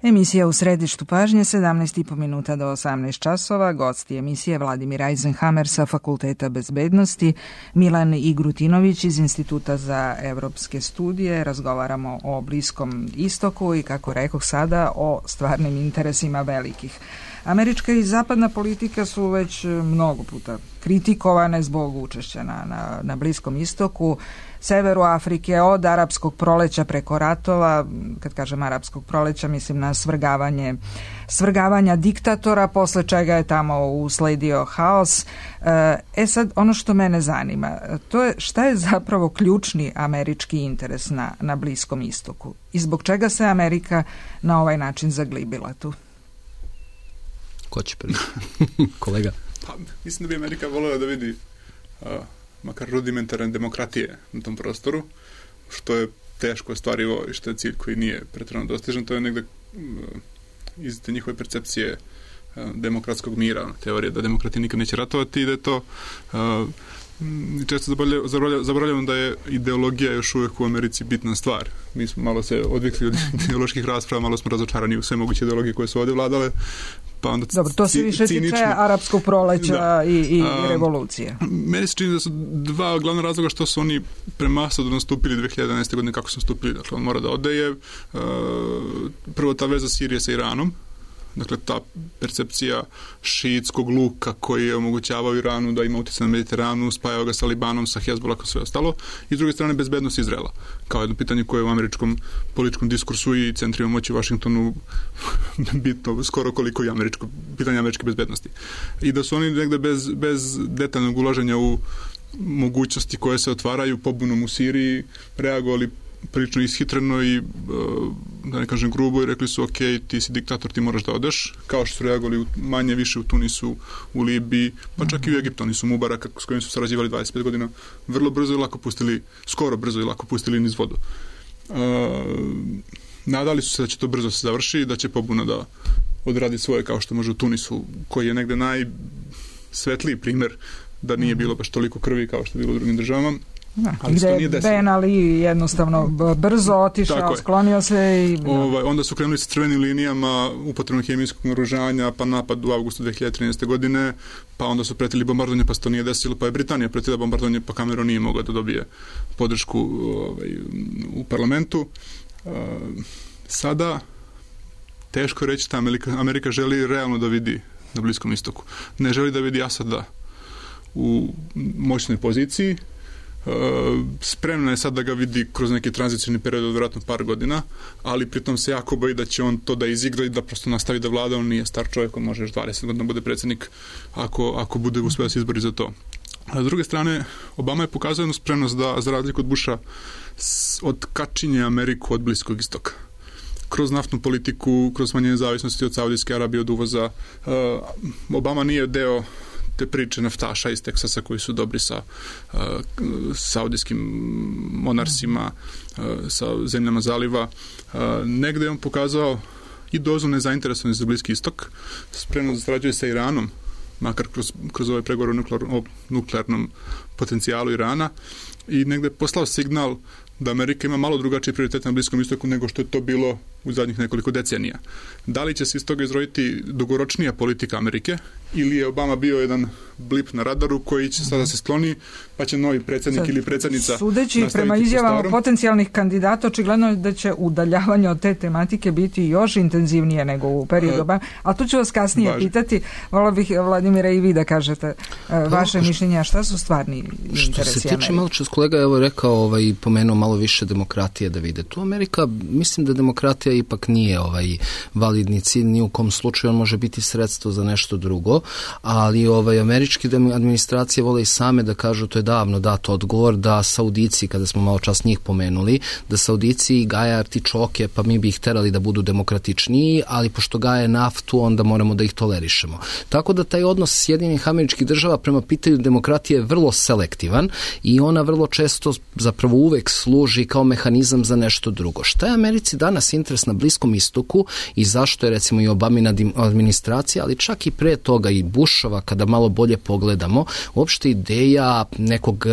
C: Emisija u središtu pažnje, sedamnaest i po minuta do osamnaest časova. Gosti emisije Vladimir Eisenhammer sa Fakulteta bezbednosti, Milan Igrutinović iz Instituta za evropske studije. Razgovaramo o Bliskom istoku i, kako rekoh sada, o stvarnim interesima velikih. Američka i zapadna politika su već mnogo puta kritikovane zbog učešća na, na, na Bliskom istoku, severu Afrike, od arapskog proleća preko ratova. Kad kažem arapskog proleća, mislim na svrgavanje, svrgavanja diktatora, posle čega je tamo usledio haos. E sad, ono što mene zanima, to je šta je zapravo ključni američki interes na, na Bliskom istoku i zbog čega se Amerika na ovaj način zaglibila tu?
D: Ko će prvi? Kolega?
B: Pa, mislim da bi Amerika voljela da vidi uh, makar rudimentarne demokratije na tom prostoru, što je teško ostvarivo i što je cilj koji nije pretjerano dostižan. To je negde uh, iz te njihove percepcije uh, demokratskog mira, teorije da demokrati nikad neće ratovati i da je to uh, često zaboravljamo da je ideologija još uvijek u Americi bitna stvar. Mi smo malo se odvikli od ideoloških rasprava, malo smo razočarani u sve moguće ideologije koje su ovdje vladale. Pa onda
C: Dobro, to se više
B: cinično
C: tiče arapskog proleća da. i, i
B: A,
C: revolucije.
B: Meni se čini da su dva glavna razloga što su oni premasovno nastupili dve hiljade jedanaeste. godine kako su nastupili. Dakle, on mora da ode je uh, prvo ta veza Sirije sa Iranom. Dakle, ta percepcija šiitskog luka koji je omogućavao Iranu da ima utjecaj na Mediteranu, spajao ga sa Libanom, sa Hezbollah, sve ostalo. I s druge strane, bezbednost Izraela. Kao jedno pitanje koje je u američkom političkom diskursu i centrima moći u Vašingtonu bitno skoro koliko i američko, pitanje američke bezbednosti. I da su oni negde bez, bez detaljnog ulaženja u mogućnosti koje se otvaraju pobunom u Siriji reagovali prilično ishitreno i, da ne kažem grubo, i rekli su ok, ti si diktator, ti moraš da odeš, kao što su reagovali manje više u Tunisu, u Libiji, pa čak i u Egiptu. Oni su Mubaraka, s kojim su sarađivali dvadeset pet godina, vrlo brzo i lako pustili, skoro brzo i lako pustili niz vodu. Uh, nadali su se da će to brzo se završi i da će pobuna da odradi svoje, kao što može u Tunisu, koji je negde najsvetliji primer da nije bilo baš toliko krvi kao što je bilo u drugim državama.
C: Da, gde je Ben Ali jednostavno brzo otišao, sklonio se i...
B: Ovaj, onda su krenuli sa crvenim linijama, upotrebom hemijskog naoružanja, pa napad u avgustu dve hiljade trinaeste. godine, pa onda su pretili bombardovanje, pa se to nije desilo, pa je Britanija pretila bombardovanje, pa Cameron nije mogao da dobije podršku ovaj, u parlamentu. Uh, sada teško reći da Amerika, Amerika želi realno da vidi na Bliskom istoku. Ne želi da vidi Asada u moćnoj poziciji. Uh, spremna je sad da ga vidi kroz neki tranzicijni period od vjerojatno par godina, ali pritom se jako boji da će on to da izigra i da prosto nastavi da vlada. On nije star čovjek, on može još dvadeset godina bude predsjednik ako, ako bude uspio da se izbori za to. A s druge strane, Obama je pokazao jednu spremnost da, za razliku od Busha, odkačinje Ameriku od Bliskog istoka. Kroz naftnu politiku, kroz smanjenje zavisnosti od Saudijske Arabije, od uvoza. Uh, Obama nije deo te priče naftaša iz Teksasa koji su dobri sa uh, saudijskim monarsima, uh, sa zemljama zaliva. Uh, negde je on pokazao i dozu nezainteresovanosti za Bliski istok, spremno da sarađuje sa Iranom, makar kroz, kroz ovaj pregovor o, nuklear, o nuklearnom potencijalu Irana, i negde je poslao signal da Amerika ima malo drugačiji prioritet na Bliskom istoku nego što je to bilo u zadnjih nekoliko decenija. Da li će se iz toga izroditi dugoročnija politika Amerike ili je Obama bio jedan blip na radaru koji će sada se skloni, pa će novi predsjednik ili predsjednica
C: sudeći prema izjavama potencijalnih kandidata, očigledno je da će udaljavanje od te tematike biti još intenzivnije nego u periodu Obama. A tu ću vas kasnije Važi. pitati, volio bih, Vladimira, i vi da kažete uh, vaše no, mišljenja, šta su stvarni interesi Amerike?
D: Što se tiče, malo čas kolega je evo rekao, ovaj, pomenuo malo više demokratije da vide. Tu Amerika, mislim da demokratija ipak nije ovaj validni cilj, ni u kom slučaju on može biti sredstvo za nešto drugo, ali ovaj američki administracije vole i same da kažu, to je davno dato odgovor, da Saudici, kada smo malo čas njih pomenuli, da Saudici gaje artičoke, pa mi bi ih terali da budu demokratičniji, ali pošto gaje naftu, onda moramo da ih tolerišemo. Tako da taj odnos Sjedinjenih Američkih Država prema pitanju demokratije je vrlo selektivan i ona vrlo često, zapravo uvek služi kao mehanizam za nešto drugo. Šta je Americi danas interes na Bliskom istoku i zašto je recimo i Obamina administracija, ali čak i pre toga i Bushova, kada malo bolje pogledamo, uopšte ideja nekog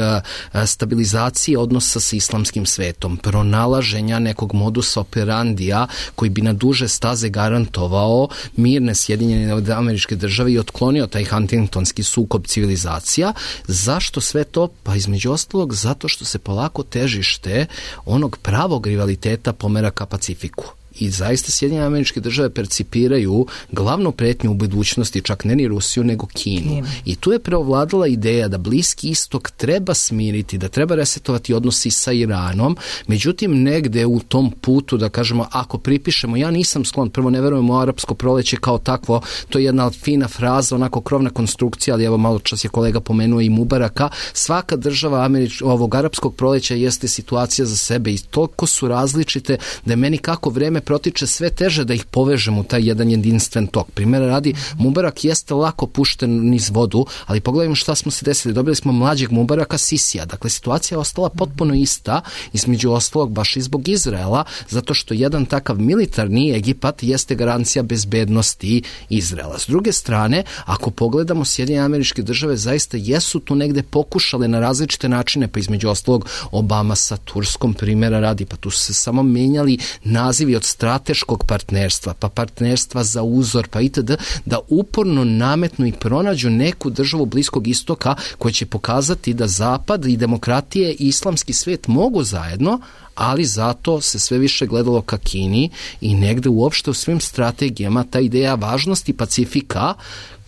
D: stabilizacije odnosa sa islamskim svetom, pronalaženja nekog modusa operandija koji bi na duže staze garantovao mirne Sjedinjene Američke Države i otklonio taj Huntingtonski sukob civilizacija. Zašto sve to? Pa između ostalog zato što se polako težište onog pravog rivaliteta pomera ka Pacifiku. I zaista Sjedinjene Američke Države percipiraju glavnu pretnju u budućnosti, čak ne ni Rusiju, nego Kinu. Kine. I tu je preovladala ideja da Bliski istok treba smiriti, da treba resetovati odnosi sa Iranom, međutim negde u tom putu, da kažemo, ako pripišemo, ja nisam sklon, prvo ne verujem u arapsko proleće kao takvo, to je jedna fina fraza, onako krovna konstrukcija, ali evo malo čas je kolega pomenuo i Mubaraka, svaka država Američ, ovog arapskog proleća jeste situacija za sebe i toliko su različite da je meni kako vreme protiče sve teže da ih povežem u taj jedan jedinstven tok. Primjera radi, Mubarak jeste lako pušten niz vodu, ali pogledajmo šta smo se desili. Dobili smo mlađeg Mubaraka, Sisija. Dakle, situacija je ostala potpuno ista, između ostalog baš i zbog Izraela, zato što jedan takav militarni Egipat jeste garancija bezbednosti Izraela. S druge strane, ako pogledamo, Sjedinjene Američke Države zaista jesu tu negde pokušale na različite načine, pa između ostalog Obama sa Turskom, primjera radi, pa tu su se samo menjali nazivi od strateškog partnerstva, pa partnerstva za uzor, pa itd., da uporno nametnu i pronađu neku državu Bliskog istoka koja će pokazati da Zapad i demokratije i islamski svet mogu zajedno, ali zato se sve više gledalo ka Kini i negde uopšte u svim strategijama ta ideja važnosti Pacifika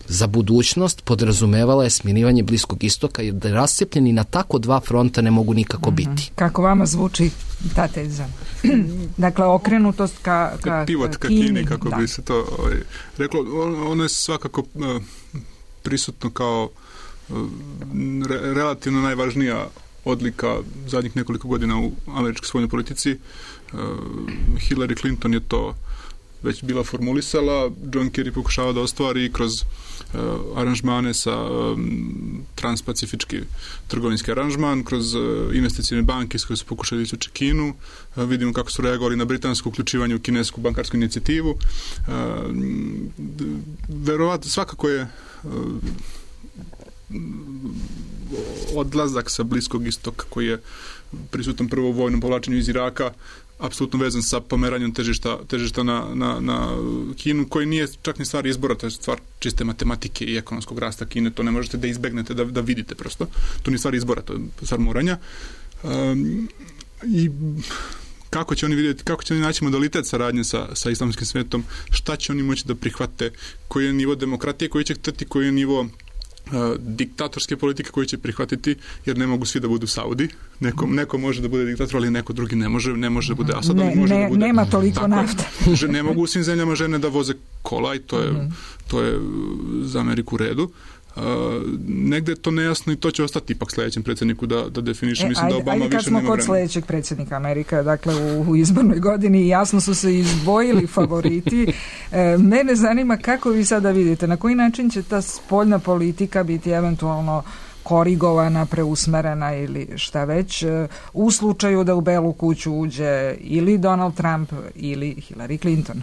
D: za budućnost podrazumevala je smirivanje Bliskog istoka, jer da je rascepljeni na tako dva fronta ne mogu nikako mm-hmm. biti.
C: Kako vama zvuči ta teza? Dakle, okrenutost ka, ka,
B: pivot ka Kini, Kini kako da. bi se to ovaj, reklo. Ono je svakako uh, prisutno kao uh, re, relativno najvažnija odlika zadnjih nekoliko godina u američkoj spoljnoj politici. Hillary Clinton je to već bila formulisala, John Kerry pokušava da ostvari kroz uh, aranžmane sa um, transpacifički trgovinski aranžman, kroz uh, investicijne banke s koje su pokušali izvući Kinu. Uh, vidimo kako su reagovali na britansko uključivanje u kinesku bankarsku inicijativu. Uh, verovatno, svakako je uh, odlazak sa Bliskog istoka koji je prisutan prvo u vojnom povlačenju iz Iraka apsolutno vezan sa pomeranjem težišta, težišta na, na, na Kinu, koji nije čak ni stvar izbora, to je stvar čiste matematike i ekonomskog rasta Kine, to ne možete da izbegnete, da, da vidite prosto. To nije stvar izbora, to je stvar moranja. Um, I kako će oni vidjeti, kako će oni naći modalitet saradnje sa, sa islamskim svetom, šta će oni moći da prihvate, koji je nivo demokratije koji će hteti, koji je nivo Uh, diktatorske politike koje će prihvatiti, jer ne mogu svi da budu Saudi. Neko, neko može da bude diktator, ali neko drugi ne može, ne može da bude Asad,
C: ne,
B: može
C: ne,
B: da bude...
C: Nema toliko nafta.
B: Ne mogu u svim zemljama žene da voze kola i to je, mm. to je za Ameriku u redu. Uh, negde je to nejasno i to će ostati ipak sljedećem predsjedniku da, da definiše.
C: E,
B: Mislim
C: ajde,
B: da Obama
C: ajde
B: više
C: smo
B: nema
C: kod
B: vremena.
C: sljedećeg predsjednika Amerika, dakle u, u izbornoj godini jasno su se izdvojili favoriti. E, mene zanima kako vi sada vidite, na koji način će ta spoljna politika biti eventualno korigovana, preusmerena ili šta već u slučaju da u Belu kuću uđe ili Donald Trump ili Hillary Clinton.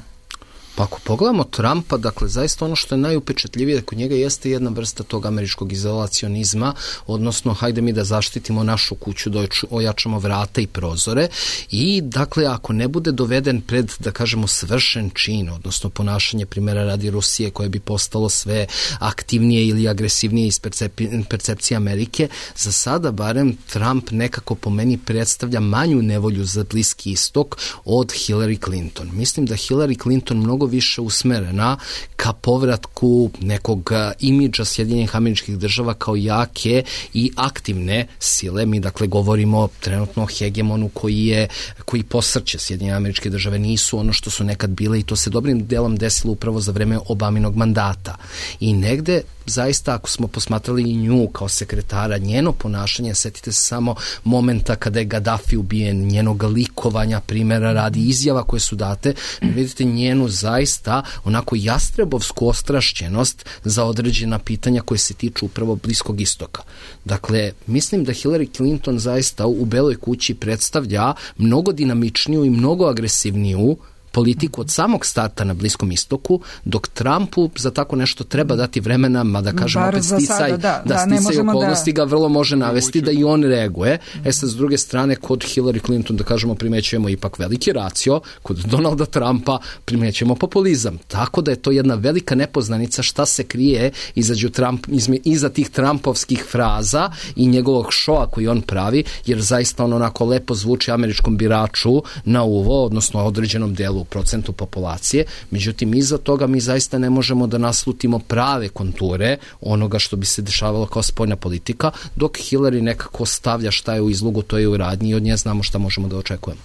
D: Pa ako pogledamo Trumpa, dakle, zaista ono što je najupečatljivije kod njega jeste jedna vrsta tog američkog izolacionizma, odnosno hajde mi da zaštitimo našu kuću, da ojačamo vrata i prozore i, dakle, ako ne bude doveden pred, da kažemo, svršen čin, odnosno ponašanje primjera radi Rusije koje bi postalo sve aktivnije ili agresivnije iz percep- percepcije Amerike, za sada barem Trump nekako po meni predstavlja manju nevolju za Bliski istok od Hillary Clinton. Mislim da Hillary Clinton mnogo više usmerena ka povratku nekog imidža Sjedinjenih Američkih Država kao jake i aktivne sile. Mi dakle govorimo trenutno o hegemonu koji je koji posrće Sjedinjene Američke Države, nisu ono što su nekad bile i to se dobrim delom desilo upravo za vreme Obaminog mandata. I negde zaista ako smo posmatrali i nju kao sekretara, njeno ponašanje, setite se samo momenta kada je Gaddafi ubijen, njenog likovanja, primjera radi izjava koje su date, vidite njenu zaista onako jastrebovsku ostrašćenost za određena pitanja koje se tiču upravo Bliskog istoka. Dakle, mislim da Hillary Clinton zaista u Beloj kući predstavlja mnogo dinamičniju i mnogo agresivniju politiku od samog starta na Bliskom istoku, dok Trumpu za tako nešto treba dati vremena, mada kažem opet sticaj, da,
C: da,
D: da sticaj okolnosti da... ga vrlo može navesti da i on reaguje. E sad, s druge strane, kod Hillary Clinton, da kažemo, primećujemo ipak veliki racio, kod Donalda Trumpa primećujemo populizam. Tako da je to jedna velika nepoznanica šta se krije izađu Trump, izme, iza tih Trumpovskih fraza i njegovog šoa koji on pravi, jer zaista on onako lepo zvuči američkom biraču na uvo, odnosno određenom delu u procentu populacije, međutim iza toga mi zaista ne možemo da naslutimo prave konture onoga što bi se dešavalo kao spoljna politika, dok Hillary nekako stavlja šta je u izlogu, to je u radnji i od nje znamo šta možemo da očekujemo.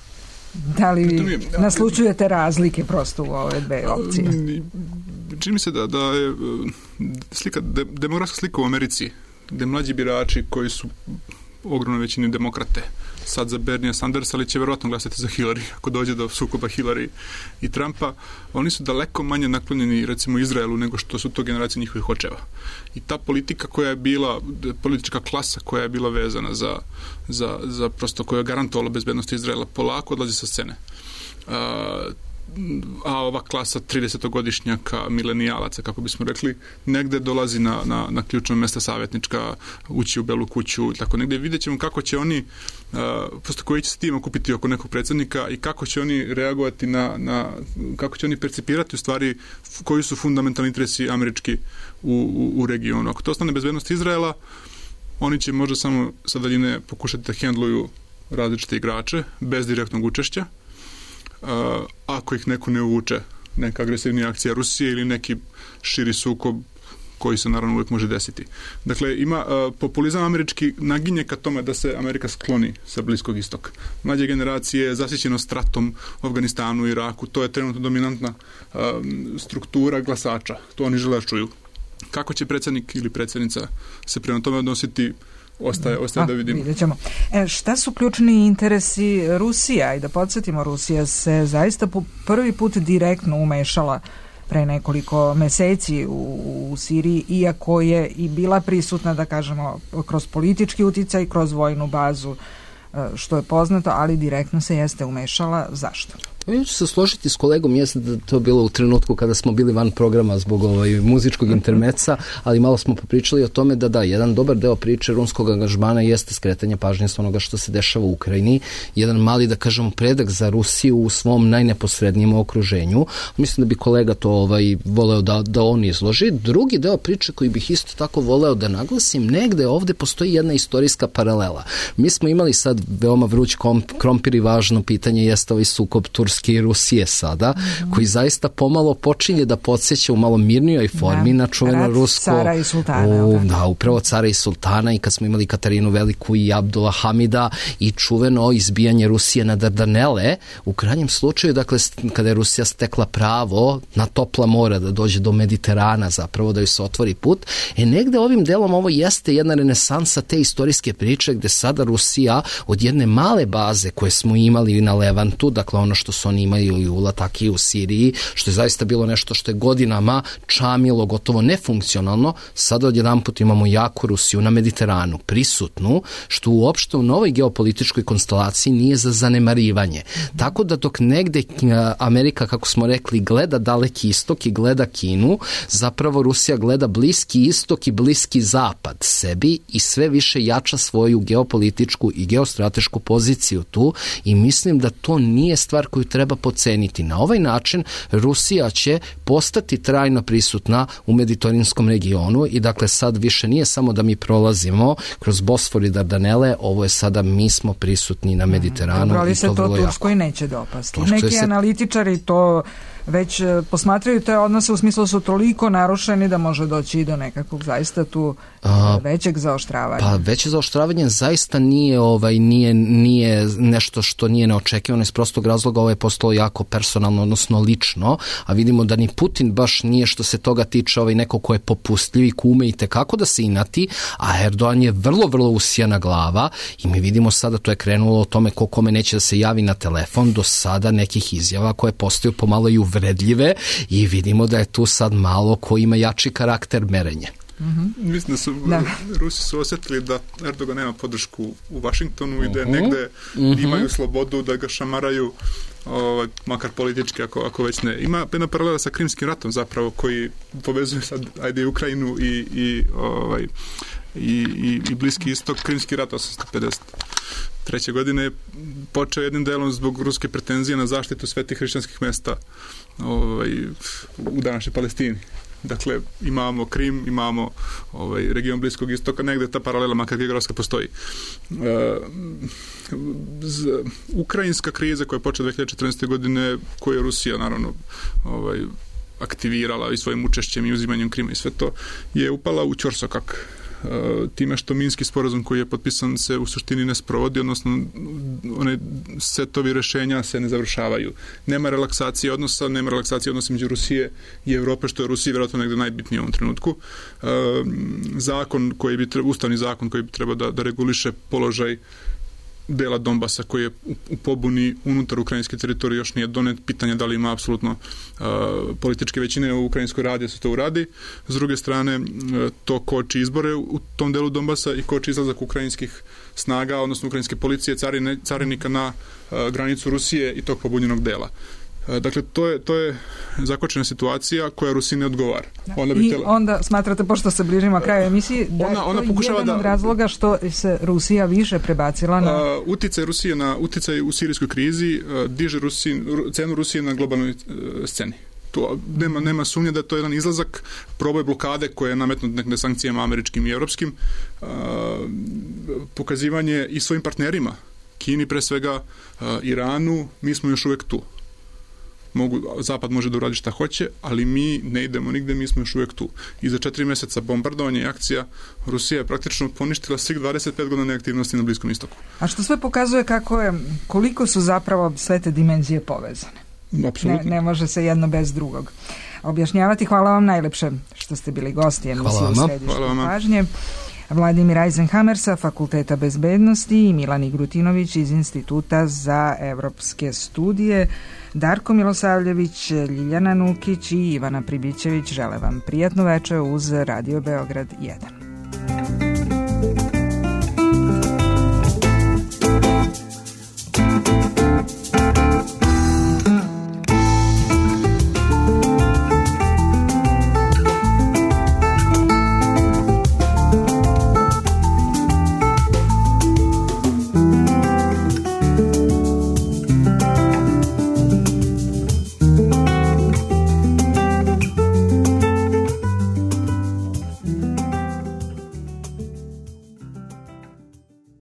C: Da li vi naslučujete razlike prosto u ove dve opcije?
B: Čini mi se da, da je slika, de, demografska slika u Americi, gde mlađi birači koji su ogromno većini demokrate, sad za Bernija Sandersa, ali će verovatno glasati za Hillary ako dođe do sukoba Hillary i Trumpa, oni su daleko manje naklonjeni recimo Izraelu nego što su to generacije njihovih očeva. I ta politika koja je bila, politička klasa koja je bila vezana za, za, za prosto koja je garantovala bezbednost Izraela, polako odlazi sa scene. A, a ova klasa tridesetogodišnjaka, milenijalaca, kako bismo rekli, negde dolazi na, na, na ključno mesta savjetnička, ući u Belu kuću, tako negde vidjet ćemo kako će oni, uh, prosto koji će se tim okupiti oko nekog predsjednika i kako će oni reagovati na, na kako će oni percipirati u stvari koji su fundamentalni interesi američki u, u, u regionu. Ako to ostane bezbednost Izraela, oni će možda samo sa daljine pokušati da hendluju različite igrače bez direktnog učešća. Uh, ako ih neko ne uvuče, neka agresivnija akcija Rusije ili neki širi sukob koji se naravno uvijek može desiti. Dakle, ima uh, populizam američki naginje ka tome da se Amerika skloni sa Bliskog istoka. Mlađe generacije zasićeno stratom u Afganistanu i Iraku, to je trenutno dominantna uh, struktura glasača, to oni žele čuju. Kako će predsjednik ili predsjednica se prema tome odnositi, ostaje, ostaje
C: A,
B: da vidimo.
C: Vidjet ćemo. E, šta su ključni interesi Rusija? I da podsjetimo, Rusija se zaista po prvi put direktno umešala pre nekoliko meseci u, u Siriji, iako je i bila prisutna, da kažemo, kroz politički uticaj i kroz vojnu bazu, što je poznato, ali direktno se jeste umešala. Zašto?
D: Ja ću se složiti s kolegom, jeste da to bilo u trenutku kada smo bili van programa zbog ovaj muzičkog intermeca, ali malo smo popričali o tome da da, jedan dobar deo priče ruskog angažmana jeste skretanje pažnje s onoga što se dešava u Ukrajini, jedan mali, da kažemo, predak za Rusiju u svom najneposrednijem okruženju. Mislim da bi kolega to ovaj voleo da, da on izloži. Drugi deo priče koji bih isto tako voleo da naglasim, negde ovde postoji jedna istorijska paralela. Mi smo imali sad veoma vruć krompir i važno pitanje jeste ovaj sukob Turske i Rusije sada, mm-hmm. koji zaista pomalo počinje da podsjeća u malo mirnijoj formi da, na čuveno rusko...
C: cara i sultana.
D: U, da, upravo cara i sultana, i kad smo imali Katarinu Veliku i Abdula Hamida i čuveno izbijanje Rusije na Dardanele, u krajnjem slučaju, dakle, kada je Rusija stekla pravo na topla mora da dođe do Mediterana, zapravo da joj se otvori put, e negde ovim delom ovo jeste jedna renesansa te istorijske priče gde sada Rusija od jedne male baze koje smo imali na Levantu, dakle ono što su oni imaju u Lataki u Siriji, što je zaista bilo nešto što je godinama čamilo, gotovo nefunkcionalno, sada odjedanput imamo jaku Rusiju na Mediteranu, prisutnu, što uopšte u novoj geopolitičkoj konstelaciji nije za zanemarivanje. Tako da dok negde Amerika, kako smo rekli, gleda daleki istok i gleda Kinu, zapravo Rusija gleda bliski istok i bliski zapad sebi i sve više jača svoju geopolitičku i geostratešku poziciju tu, i mislim da to nije stvar koju treba poceniti. Na ovaj način Rusija će postati trajno prisutna u mediteranskom regionu i dakle sad više nije samo da mi prolazimo kroz Bosfor i Dardanele, ovo je sada mi smo prisutni na Mediteranu.
C: Dobro, ali
D: i
C: se
D: to,
C: to Turskoj
D: jako.
C: neće dopasti.
D: Turskoj
C: Neki
D: se...
C: analitičari to već posmatraju te odnose u smislu su toliko narušeni da može doći i do nekakvog zaista tu A, većeg zaoštravanja.
D: Pa veće zaoštravanje zaista nije ovaj nije nije nešto što nije neočekivano iz prostog razloga, ovo je postalo jako personalno, odnosno lično, a vidimo da ni Putin baš nije što se toga tiče ovaj neko ko je popustljiv i kume i tekako da se inati, a Erdogan je vrlo, vrlo usijana glava i mi vidimo sada to je krenulo o tome ko kome neće da se javi na telefon, do sada nekih izjava koje postaju pomalo i uvredljive i vidimo da je tu sad malo ko ima jači karakter merenje.
B: Mm-hmm. Mislim da su da. Rusi su osjetili da Erdogan nema podršku u Vašingtonu uh-huh. i da negde uh-huh. imaju slobodu da ga šamaraju, ovaj, makar politički ako, ako već ne. Ima jedna paralela sa Krimskim ratom zapravo koji povezuje sad ajde Ukrajinu i, i, ovaj, i, i, i Bliski istok. Krimski rat osamsto pedeset treće godine počeo jednim delom zbog ruske pretenzije na zaštitu svetih hrišćanskih mesta ovaj, u današnjoj Palestini. Dakle, imamo Krim, imamo ovaj, region Bliskog istoka, negde ta paralela, makar geografska, postoji. E, z, ukrajinska kriza koja je počela dve hiljade četrnaeste. godine, koju je Rusija, naravno, ovaj, aktivirala i svojim učešćem i uzimanjem Krima i sve to, je upala u ćorsokak. Time što Minski sporazum koji je potpisan se u suštini ne sprovodi, odnosno one setovi rešenja se ne završavaju. Nema relaksacije odnosa, nema relaksacije odnosa među Rusije i Evrope, što je Rusiji vjerojatno negde najbitnije u ovom trenutku. Zakon koji bi treba, ustavni zakon koji bi trebao da, da reguliše položaj dela Donbasa koji je u pobuni unutar ukrajinske teritorije još nije donet, pitanje da li ima apsolutno uh, političke većine u Ukrajinskoj radi da se to uradi. S druge strane, uh, to koči izbore u tom delu Donbasa i koči izlazak ukrajinskih snaga, odnosno ukrajinske policije, carine, carinika na uh, granicu Rusije i tog pobunjenog dela. Dakle, to je, to je zakočena situacija koja Rusiji ne odgovara.
C: Onda bi I tela... onda smatrate, pošto se bližimo kraju emisiji, da ona, ona je to jedan da... od razloga što se Rusija više prebacila na...
B: Uh, uticaj Rusije na uticaj u sirijskoj krizi uh, diže Rusiji, cenu Rusije na globalnoj uh, sceni. To, nema, nema sumnje da je to jedan izlazak, proboj blokade koje je nametnut nekde sankcijama američkim i evropskim, uh, pokazivanje i svojim partnerima, Kini pre svega, uh, Iranu, mi smo još uvek tu. Mogu, Zapad može da uradi šta hoće, ali mi ne idemo nigde, mi smo još uvijek tu. I za četiri mjeseca bombardovanja i akcija Rusija je praktično poništila svih dvadeset pet godina neaktivnosti na Bliskom istoku.
C: A što sve pokazuje kako je, koliko su zapravo sve te dimenzije povezane.
B: Apsolutno.
C: Ne, ne može se jedno bez drugog objašnjavati. Hvala vam najlepše što ste bili gosti emisije u Središtu pažnje. Vladimir Eisenhammer sa Fakulteta bezbednosti i Milan Igrutinović iz Instituta za evropske studije. Darko Milosavljević, Ljiljana Nukić i Ivana Pribićević žele vam prijatno večer uz Radio Beograd jedan.